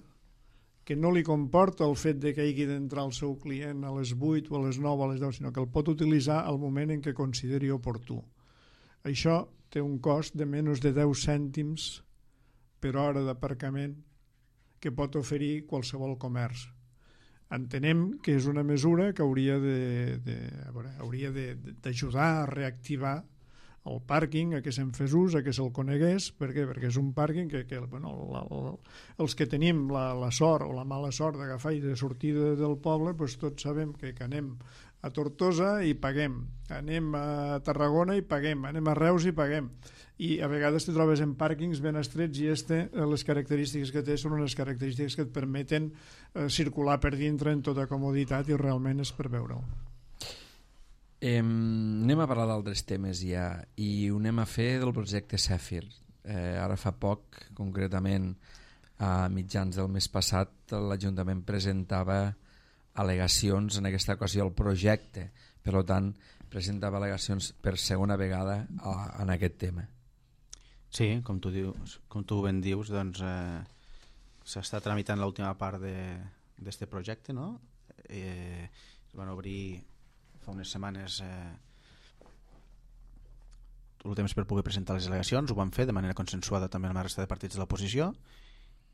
que no li comporta el fet de que hagi d'entrar el seu client a les vuit o a les nou o a les deu, sinó que el pot utilitzar al moment en què consideri oportú. Això té un cost de menys de deu cèntims per hora d'aparcament que pot oferir qualsevol comerç. Entenem que és una mesura que hauria de, de, a veure, hauria de, d'ajudar a reactivar el pàrquing, a què se'n fes ús, a què se'l conegués. Per què? Perquè és un pàrquing que, que bueno, la, la, els que tenim la, la sort o la mala sort d'agafar i de sortir de, del poble, doncs tots sabem que, que anem a Tortosa i paguem, anem a Tarragona i paguem, anem a Reus i paguem, i a vegades te trobes en pàrquings ben estrets, i este, les característiques que té són unes característiques que et permeten eh, circular per dintre en tota comoditat, i realment és per veure-ho. Eh, anem a parlar d'altres temes ja, i ho anem a fer del projecte Zèfir. Eh, ara fa poc, concretament a mitjans del mes passat, l'Ajuntament presentava al·legacions, en aquesta ocasió al projecte, per tant presentava al·legacions per segona vegada a, en aquest tema. Sí, com tu, dius, com tu ben dius, doncs eh, s'està tramitant l'última part d'aquest projecte, no? Eh, es van obrir fa unes setmanes eh, tot el temps per poder presentar les al·legacions, ho van fer de manera consensuada també amb la resta de partits de l'oposició,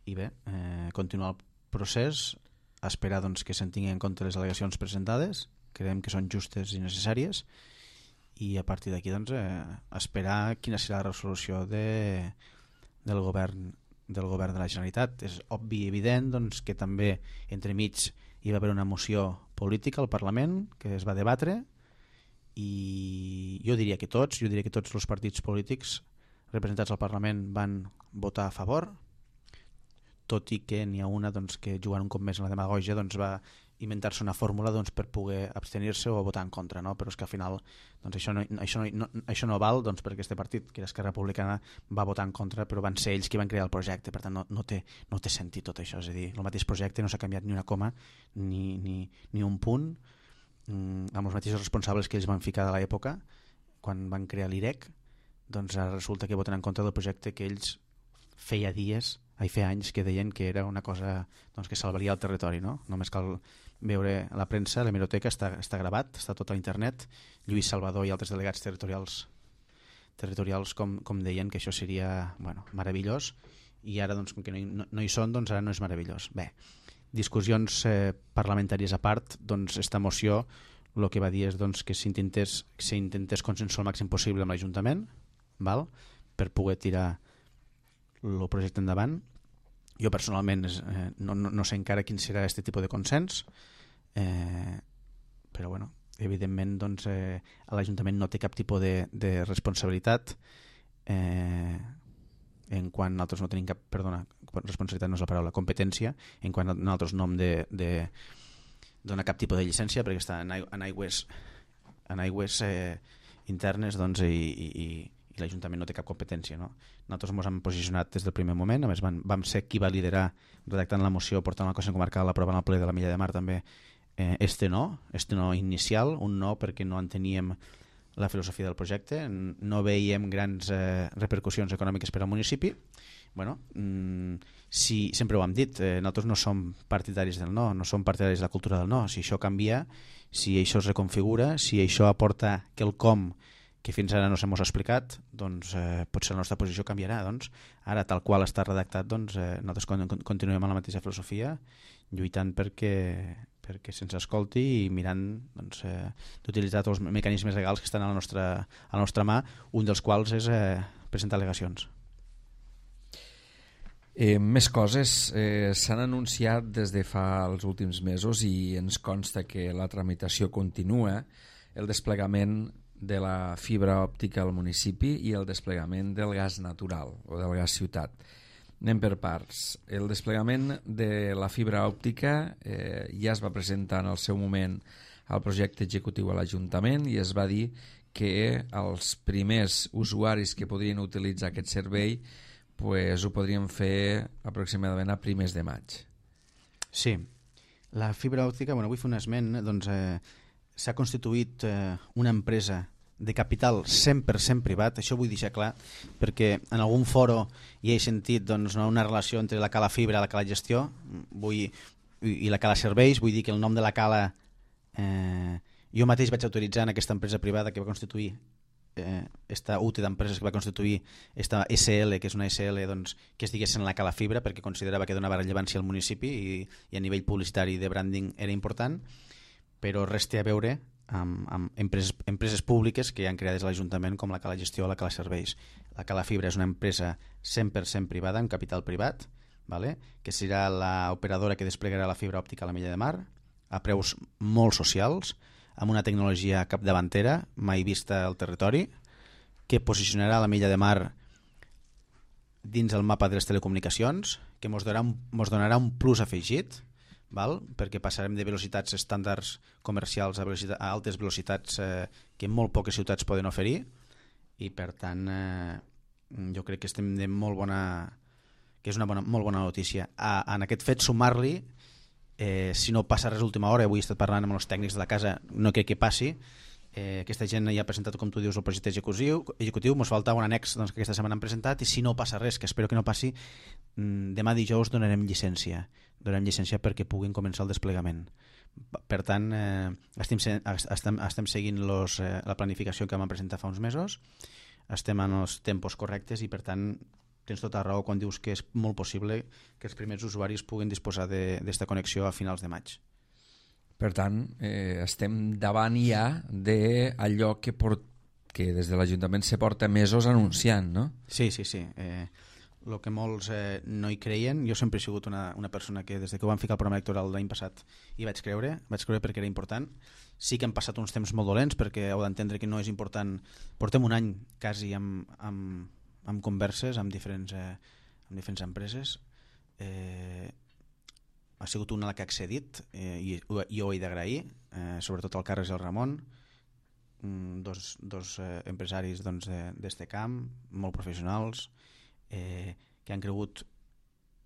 i bé, eh, continuar el procés, a esperar doncs, que se'n tinguin en compte les al·legacions presentades, creiem que són justes i necessàries, i a partir d'aquí doncs, eh, esperar quina serà la resolució de, del govern del govern de la Generalitat. És obvi i evident doncs, que també entremig hi va haver una moció política al Parlament que es va debatre, i jo diria que tots, jo diria que tots els partits polítics representats al Parlament van votar a favor, tot i que n'hi ha una doncs, que jugant un cop més en la demagògia doncs, va inventar-se una fórmula doncs, per poder abstenir-se o votar en contra, no? Però és que al final doncs, això, no, això, no, no, això no val doncs, perquè aquest partit, que era Esquerra Republicana, va votar en contra, però van ser ells qui van crear el projecte, per tant no, no, té, no té sentit tot això, és a dir, el mateix projecte no s'ha canviat ni una coma ni, ni, ni un punt, mm, amb els mateixos responsables que ells van ficar de l'època quan van crear l'I R E C, doncs ara resulta que voten en contra del projecte que ells feia dies, ai, feia anys que deien que era una cosa doncs, que salvaria el territori, no? Només cal veure la premsa, l'hemeroteca està, està gravat, està tot a internet. Lluís Salvador i altres delegats territorials territorials com, com deien que això seria bueno, meravellós, i ara doncs, com que no hi, no, no hi són, doncs ara no és meravellós. Bé, discussions eh, parlamentàries a part, doncs esta moció el que va dir és doncs, que s'intentés s'intentés consensuar el màxim possible amb l'Ajuntament, val? Per poder tirar el projecte endavant. Jo personalment eh, no, no, no sé encara quin serà aquest tipus de consens, eh, però bueno, evidentment doncs, eh, l'Ajuntament no té cap tipus de, de responsabilitat eh, en quan nosaltres no tenim cap, perdona, responsabilitat no és la paraula, competència, en quan nosaltres no hem de, de donar cap tipus de llicència, perquè està en, en aigües, en aigües eh, internes doncs, i, i, i l'Ajuntament no té cap competència, no? Nosaltres ens hem posicionat des del primer moment, a més vam, vam ser qui va liderar redactant la moció, portant la Consell Comarcal, aprovant el ple de la Milla de Mar també, eh, este no, este no inicial, un no perquè no enteníem la filosofia del projecte, no veiem grans eh, repercussions econòmiques per al municipi, bueno, mmm, si, sempre ho hem dit, eh, nosaltres no som partidaris del no, no som partidaris de la cultura del no. Si això canvia, si això es reconfigura, si això aporta quelcom que fins ara no se mos ha explicat, doncs eh, potser la nostra posició canviarà. Doncs, ara, tal qual està redactat, doncs, eh, nosaltres con continuem amb la mateixa filosofia, lluitant perquè, perquè se'ns escolti i mirant doncs, eh, d'utilitzar tots els mecanismes legals que estan a la nostra, a la nostra mà, un dels quals és eh, presentar al·legacions. Eh, més coses eh, s'han anunciat des de fa els últims mesos i ens consta que la tramitació continua, el desplegament de la fibra òptica al municipi i el desplegament del gas natural o del gas ciutat. Anem per parts. El desplegament de la fibra òptica eh, ja es va presentar en el seu moment al projecte executiu a l'Ajuntament i es va dir que els primers usuaris que podrien utilitzar aquest servei pues, ho podrien fer aproximadament a primers de maig. Sí, la fibra òptica, bueno, vull fer un esment, doncs eh, s'ha constituït eh, una empresa de capital cent per cent privat, això vull deixar clar, perquè en algun foro hi he sentit doncs, una relació entre la cala fibra i la cala gestió vull, i, i la cala serveis, vull dir que el nom de la cala eh, jo mateix vaig autoritzar en aquesta empresa privada que va constituir eh, esta U T E d'empreses que va constituir esta S L, que és una S L doncs, que es digués en la cala fibra perquè considerava que donava rellevància al municipi i, i a nivell publicitari de branding era important, però res té a veure amb, amb empreses, empreses públiques que hi han creades a l'Ajuntament com la Cala Gestió o la Cala Serveis. La Cala Fibra és una empresa cent per cent privada, amb capital privat, vale? Que serà l'operadora que desplegarà la fibra òptica a la Mella de Mar a preus molt socials, amb una tecnologia capdavantera mai vista al territori, que posicionarà la Mella de Mar dins el mapa de les telecomunicacions, que ens donarà, mos donarà un plus afegit, val? Perquè passarem de velocitats estàndards comercials a, velocitat, a altes velocitats eh, que molt poques ciutats poden oferir i per tant eh, jo crec que estem de molt bona que és una bona, molt bona notícia. A, en aquest fet sumar-li eh, si no passa res a última hora, avui he estat parlant amb els tècnics de la casa, no crec que passi, eh, aquesta gent ja ha presentat, com tu dius, el projecte executiu, executiu ens falta un annex doncs, que aquesta setmana han presentat i si no passa res, que espero que no passi, demà dijous donarem llicència donarem llicència perquè puguin començar el desplegament. Per tant, eh, estem, estem, estem seguint los, eh, la planificació que vam presentar fa uns mesos, estem en els tempos correctes i per tant tens tota raó quan dius que és molt possible que els primers usuaris puguin disposar d'esta connexió a finals de maig. Per tant, eh, estem davant ja d'allò que, port... que des de l'Ajuntament se porta mesos anunciant, no? Sí, sí, sí. Eh, el que molts eh, no hi creien, jo sempre he sigut una, una persona que des de que ho vam ficar al programa electoral l'any passat hi vaig creure, vaig creure perquè era important. Sí que han passat uns temps molt dolents perquè heu d'entendre que no és important. Portem un any quasi amb, amb, amb converses amb diferents, eh, amb diferents empreses. Eh, ha sigut una la que ha accedit eh, i jo ho he d'agrair, eh, sobretot el Carles i el Ramon, dos, dos eh, empresaris doncs, d'este camp, molt professionals, Eh, que han cregut,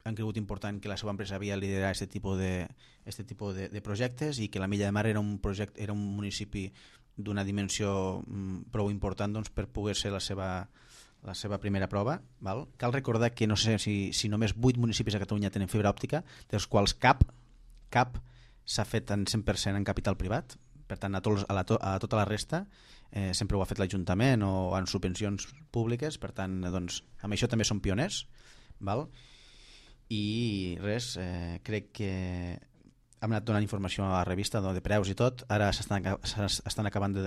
han cregut important que la seva empresa havia liderat aquest tipus de, este tipus de, de projectes i que la Mella de Mar era un, projecte, era un municipi d'una dimensió mm, prou important doncs, per poder ser la seva, la seva primera prova. Val? Cal recordar que no sé si, si només vuit municipis a Catalunya tenen fibra òptica, dels quals cap, cap s'ha fet en cent per cent en capital privat. Per tant, a, tots, a, la to, a tota la resta eh, sempre ho ha fet l'Ajuntament o en subvencions públiques, per tant, doncs, amb això també som pioners, val? I res, eh, crec que hem anat donant informació a la revista de preus i tot, ara s'estan acabant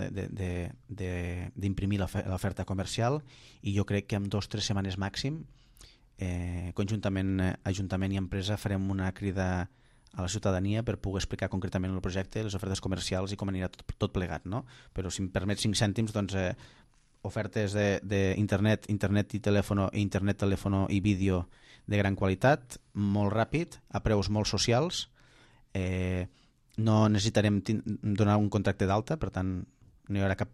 d'imprimir l'oferta comercial i jo crec que en dos o tres setmanes màxim, eh, conjuntament Ajuntament i empresa farem una crida a la ciutadania per poder explicar concretament el projecte, les ofertes comercials i com anirà tot, tot plegat, no? Però si em permet cinc cèntims, doncs eh, ofertes d'internet, internet i telèfono, internet, telèfono i vídeo de gran qualitat, molt ràpid, a preus molt socials, eh, no necessitarem donar un contracte d'alta, per tant no hi haurà cap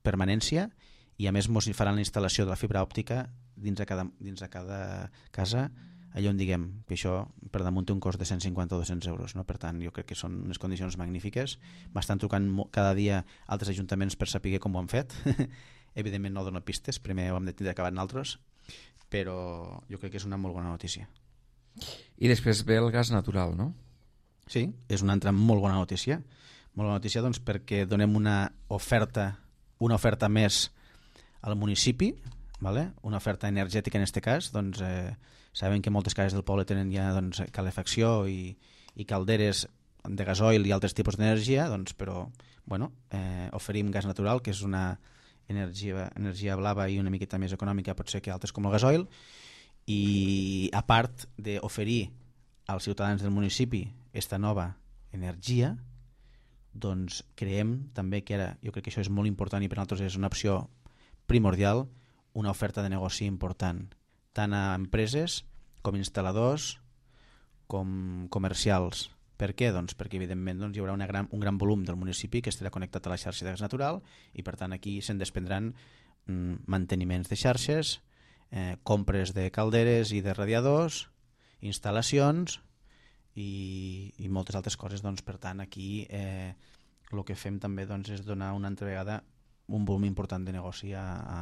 permanència i a més ens faran la instal·lació de la fibra òptica dins de cada, dins de cada casa, allò on diguem que això per damunt té un cost de cent cinquanta o dos-cents euros, no? Per tant jo crec que són unes condicions magnífiques. M'estan trucant cada dia altres ajuntaments per saber com ho han fet evidentment no dono pistes, primer ho hem de tindre acabat nosaltres però jo crec que és una molt bona notícia. I després ve el gas natural, no? Sí, és una altra molt bona notícia. Molt bona notícia doncs, perquè donem una oferta, una oferta més al municipi, vale? Una oferta energètica en aquest cas. Doncs, eh, sabem que moltes cases del poble tenen ja doncs, calefacció i, i calderes de gasoil i altres tipus d'energia, doncs, però bueno, eh, oferim gas natural, que és una energia, energia blava i una miqueta més econòmica potser que altres com el gasoil, i a part d'oferir als ciutadans del municipi esta nova energia, doncs creem també que ara, jo crec que això és molt important i per nosaltres és una opció primordial, una oferta de negoci important, tant a empreses com instal·ladors com comercials. Per què? Doncs perquè evidentment doncs, hi haurà una gran, un gran volum del municipi que estarà connectat a la xarxa de gas natural i per tant aquí se'n desprendran mm, manteniments de xarxes, eh, compres de calderes i de radiadors, instal·lacions i, i moltes altres coses. Doncs, per tant aquí eh, el que fem també doncs, és donar una altra vegada un volum important de negoci a, a,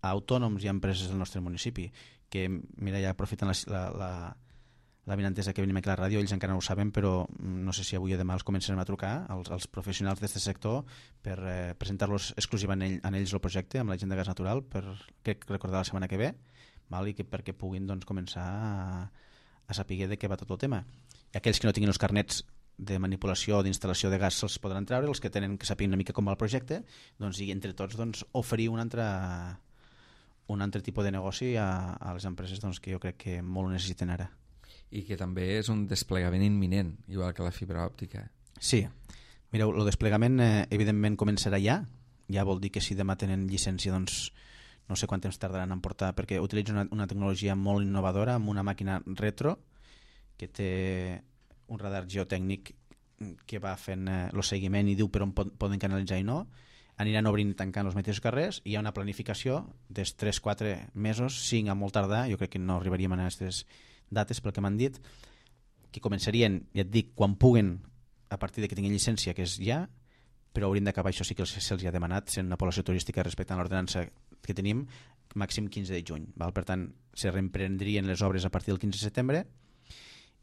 a autònoms i a empreses del nostre municipi, que mira, ja aprofiten la, la, la la vinentesa que venim aquí a la ràdio, ells encara no ho saben, però no sé si avui o demà els començarem a trucar als, als professionals d'aquest sector per eh, presentar-los exclusivament en, ell, en ells el projecte amb la gent de gas natural, per que recordar la setmana que ve, val? I que perquè puguin doncs, començar a, a saber de què va tot el tema. I aquells que no tinguin els carnets de manipulació o d'instal·lació de gas se'ls podran treure, els que tenen que saber una mica com va el projecte, doncs, i entre tots doncs, oferir un altre, un altre tipus de negoci a, a les empreses doncs, que jo crec que molt ho necessiten ara. I que també és un desplegament imminent, igual que la fibra òptica. Sí. Mireu, el desplegament eh, evidentment començarà ja. Ja vol dir que si demà tenen llicència, doncs no sé quant temps tardaran en portar, perquè utilitza una, una tecnologia molt innovadora amb una màquina retro que té un radar geotècnic que va fent el eh, seguiment i diu per on pot, poden canalitzar i no. Aniran obrint i tancant els mateixos carrers i hi ha una planificació dels tres quatre mesos, cinc a molt tardar, jo crec que no arribaríem a aquestes dates pel que m'han dit, que començarien, ja et dic, quan puguen a partir de que tinguin llicència, que és ja, però haurien d'acabar, això sí que se'ls ha demanat, sent una població turística respectant l'ordenança que tenim, màxim quinze de juny. Val? Per tant, se reemprendrien les obres a partir del quinze de setembre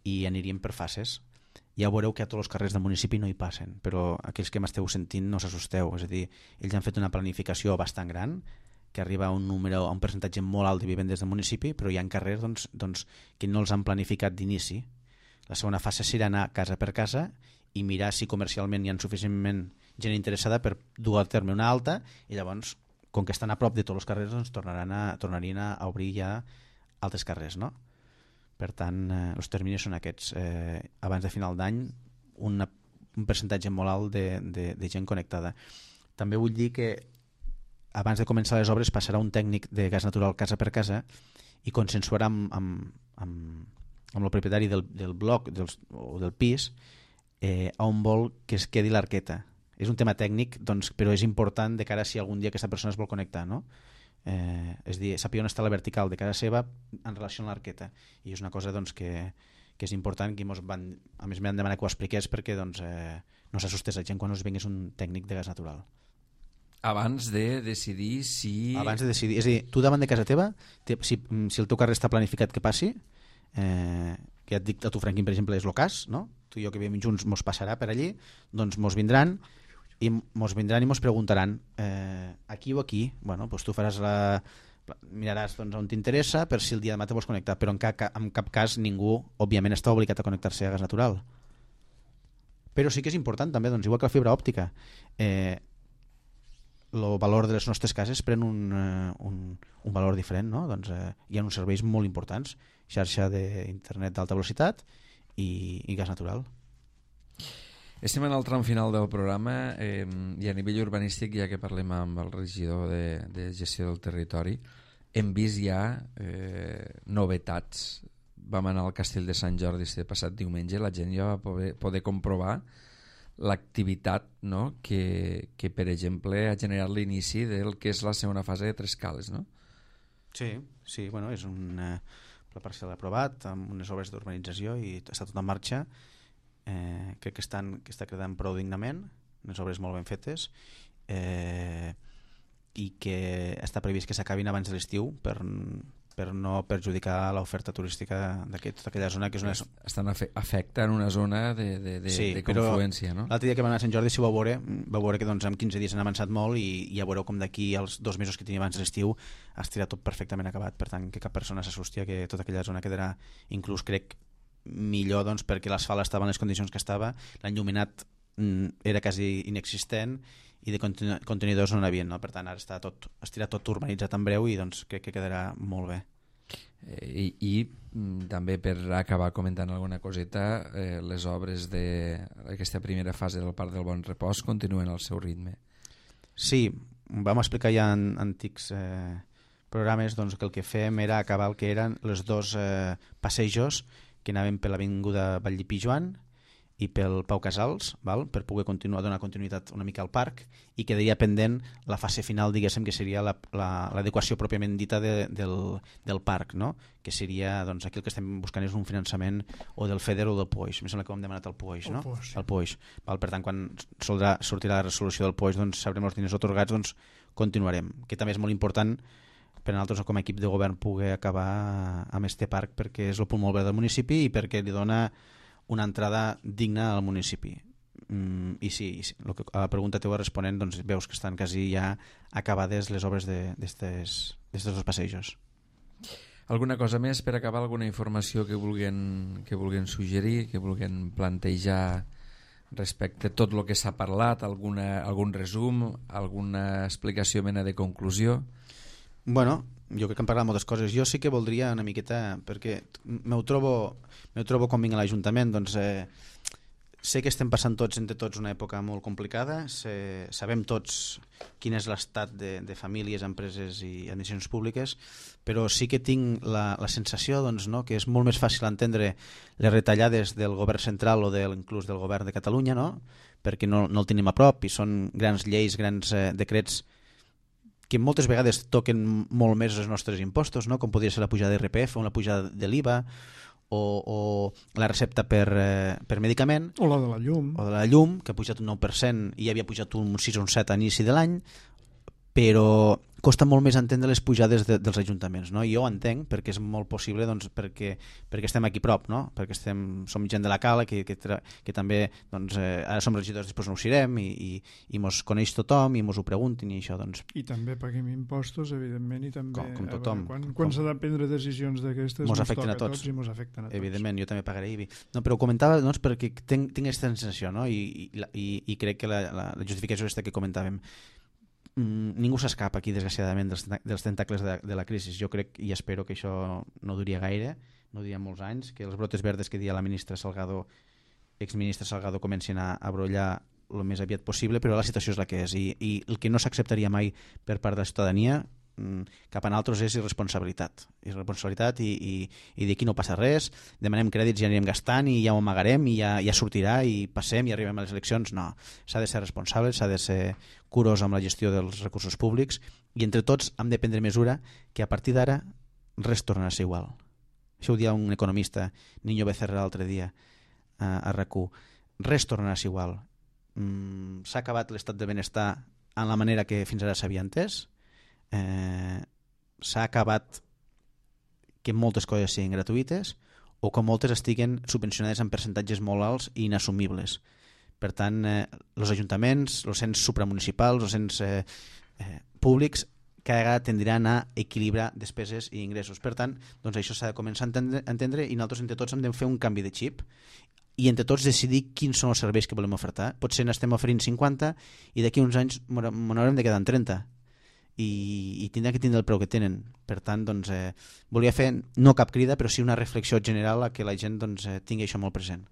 i anirien per fases. Ja veureu que a tots els carrers del municipi no hi passen, però aquells que m'esteu sentint no s'assusteu, és a dir, ells han fet una planificació bastant gran, que arriba a un número, a un percentatge molt alt de vivendes del municipi, però hi ha carrers doncs, doncs, que no els han planificat d'inici. La segona fase serà anar casa per casa i mirar si comercialment hi ha suficientment gent interessada per dur a terme una alta i llavors, com que estan a prop de tots els carrers, doncs tornaran a, tornarien a obrir ja altres carrers, no? Per tant, eh, els terminis són aquests. Eh, abans de final d'any, una, un percentatge molt alt de, de, de gent connectada. També vull dir que abans de començar les obres passarà un tècnic de gas natural casa per casa i consensuarà amb, amb, amb, amb el propietari del, del bloc dels, o del pis eh, on vol que es quedi l'arqueta. És un tema tècnic, doncs, però és important de cara a si algun dia aquesta persona es vol connectar, no? Eh, és a dir, saber on està la vertical de casa seva en relació amb l'arqueta. I és una cosa doncs, que, que és important, que mos van, a més m'han demanat que ho expliqués perquè doncs, eh, no s'assustés la gent quan us vingués un tècnic de gas natural. Abans de decidir si... Abans de decidir, és a dir, tu davant de casa teva, te, si, si el teu carrer està planificat que passi, eh, que ja et dic a tu, Franquín, per exemple, és el cas, no? Tu i jo que vivim junts mos passarà per allí, doncs mos vindran i mos vindran i mos preguntaran eh, aquí o aquí, bueno, doncs tu faràs la... miraràs doncs, on t'interessa per si el dia demà te vols connectar, però en cap, en cap cas ningú, òbviament, està obligat a connectar-se a gas natural. Però sí que és important també, doncs, igual que la fibra òptica, eh, el valor de les nostres cases pren un, un, un valor diferent, no? Doncs, eh, hi ha uns serveis molt importants, xarxa d'internet d'alta velocitat i, i gas natural. Estem en el tram final del programa eh, i a nivell urbanístic, ja que parlem amb el regidor de, de gestió del territori, hem vist ja eh, novetats. Vam anar al Castell de Sant Jordi este passat diumenge, la gent ja va poder, poder comprovar l'activitat, no? que, que, per exemple, ha generat l'inici del que és la segona fase de Tres Cales, no? Sí, sí, bueno, és un eh, pla parcial aprovat amb unes obres d'urbanització i està tot en marxa. Eh, crec que, estan, que està quedant prou dignament, unes obres molt ben fetes. Eh, i que està previst que s'acabin abans de l'estiu per, per no perjudicar l'oferta turística d'aquesta tota aquella zona que és una... Estan afectant una zona de, de, de, sí, de confluència, no? L'altre dia que vam anar a Sant Jordi, si ho vau veure, vau veure que doncs, en quinze dies han avançat molt i, i ja veureu com d'aquí als dos mesos que tenia abans de l'estiu estirà tot perfectament acabat, per tant que cap persona s'assusti que tota aquella zona quedarà, inclús crec, millor doncs, perquè l'asfalt estava en les condicions que estava, l'enlluminat era quasi inexistent i de contenidors no n'havien, no? Per tant ara està tot estirat, tot urbanitzat en breu i doncs crec que quedarà molt bé. Eh, i, i també per acabar comentant alguna coseta, eh, les obres d'aquesta primera fase del Parc del Bon Repòs continuen al seu ritme. Sí, vam explicar ja en antics eh, programes doncs, que el que fem era acabar el que eren els dos eh, passejos que anaven per l'avinguda Vallipí Joan i pel Pau Casals, val? Per poder continuar, donar continuïtat una mica al parc, i quedaria pendent la fase final, diguéssim, que seria l'adequació la, la, pròpiament dita de, del, del parc, no? Que seria, doncs, aquí el que estem buscant és un finançament o del FEDER o del POIX. Em sembla que ho hem demanat al POIX, no? El POIX. El POIX. Val? Per tant, quan soldrà, sortirà la resolució del POIX, doncs sabrem els diners otorgats, doncs continuarem. Que també és molt important per a nosaltres com a equip de govern poder acabar amb este parc, perquè és el punt molt verd del municipi i perquè li dona una entrada digna al municipi. Mm, i sí, i sí, lo que, a la pregunta teva responent, doncs veus que estan quasi ja acabades les obres d'aquests dos passejos. Alguna cosa més per acabar? Alguna informació que vulguin, que vulguin suggerir, que vulguin plantejar respecte a tot el que s'ha parlat? Alguna, algun resum? Alguna explicació, mena de conclusió? Bueno, jo crec que hem parlat moltes coses. Jo sí que voldria una miqueta, perquè m'ho trobo, m'ho trobo quan vinc a l'Ajuntament, doncs eh, sé que estem passant tots entre tots una època molt complicada, sé, sabem tots quin és l'estat de, de famílies, empreses i administracions públiques, però sí que tinc la, la sensació doncs, no, que és molt més fàcil entendre les retallades del govern central o de, inclús del govern de Catalunya, no? Perquè no, no el tenim a prop i són grans lleis, grans eh, decrets que moltes vegades toquen molt més els nostres impostos, no? Com podria ser la pujada d'I R P F o la pujada de l'I V A o, o la recepta per, eh, per medicament o la de la llum o de la llum, que ha pujat un nou per cent i havia pujat un sis o un set a inici de l'any, però costa molt més entendre les pujades de, dels ajuntaments, no? I jo ho entenc perquè és molt possible, doncs, perquè, perquè estem aquí prop, no? Perquè estem, som gent de la Cala que, que, que també doncs, eh, ara som regidors, després no ho serem i, i, i mos coneix tothom i mos ho preguntin i això doncs... I també paguem impostos, evidentment, i també com, com tothom, veure, quan, quan s'ha de prendre decisions d'aquestes mos afecten a tots. tots i mos afecten a tots. Evidentment, jo també pagaré I B I. No, però ho comentava doncs, perquè tinc, tinc aquesta sensació, no? I, i, i, i crec que la, la, la justificació és que comentàvem. Mm, ningú s'escapa aquí, desgraciadament, dels, dels tentacles de, de la crisi. Jo crec i espero que això no duria gaire, no duria molts anys, que els brotes verdes que dia la ministra Salgado, exministra Salgado, comencin a, a brollar el més aviat possible, però la situació és la que és. I, i el que no s'acceptaria mai per part de la ciutadania cap a nosaltres és irresponsabilitat. Irresponsabilitat i, i, i d'aquí no passa res, demanem crèdits i anirem gastant i ja ho amagarem i ja, ja sortirà i passem i arribem a les eleccions. No, s'ha de ser responsable, s'ha de ser curós amb la gestió dels recursos públics i entre tots hem de prendre mesura que a partir d'ara res torna a ser igual. Això ho dia un economista, Niño Becerra, l'altre dia a, a R A C U. Res torna a ser igual. Mm, s'ha acabat l'estat de benestar en la manera que fins ara s'havia entès. Eh, s'ha acabat que moltes coses siguin gratuïtes o que moltes estiguen subvencionades en percentatges molt alts i inassumibles. Per tant, eh, els ajuntaments, els ens supramunicipals, els ens eh, eh, públics cada vegada tendran a equilibrar despeses i ingressos. Per tant, doncs això s'ha de començar a entendre, a entendre i nosaltres entre tots hem de fer un canvi de xip i entre tots decidir quins són els serveis que volem ofertar. Potser n'estem oferint cinquanta i d'aquí uns anys m'haurem de quedar en trenta. I, i tindrà que tindre el preu que tenen. Per tant, doncs, eh, volia fer no cap crida, però sí una reflexió general a que la gent doncs, eh, tingui això molt present.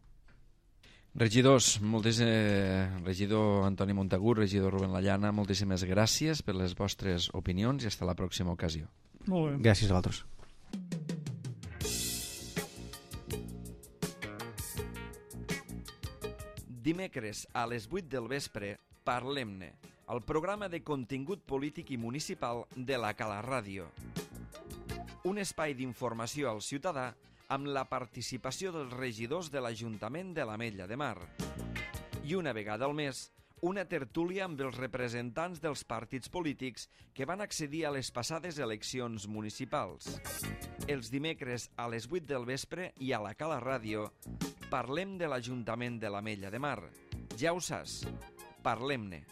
Regidors, moltes, eh, regidor Antoni Montagut, regidor Rubén Lallana, moltíssimes gràcies per les vostres opinions i fins a la pròxima ocasió. Molt bé. Gràcies a vosaltres. Dimecres a les vuit del vespre, Parlem-ne, el programa de contingut polític i municipal de la Cala Ràdio. Un espai d'informació al ciutadà amb la participació dels regidors de l'Ajuntament de l'Ametlla de Mar. I una vegada al mes, una tertúlia amb els representants dels partits polítics que van accedir a les passades eleccions municipals. Els dimecres a les vuit del vespre i a la Cala Ràdio parlem de l'Ajuntament de l'Ametlla de Mar. Ja ho saps, parlem-ne.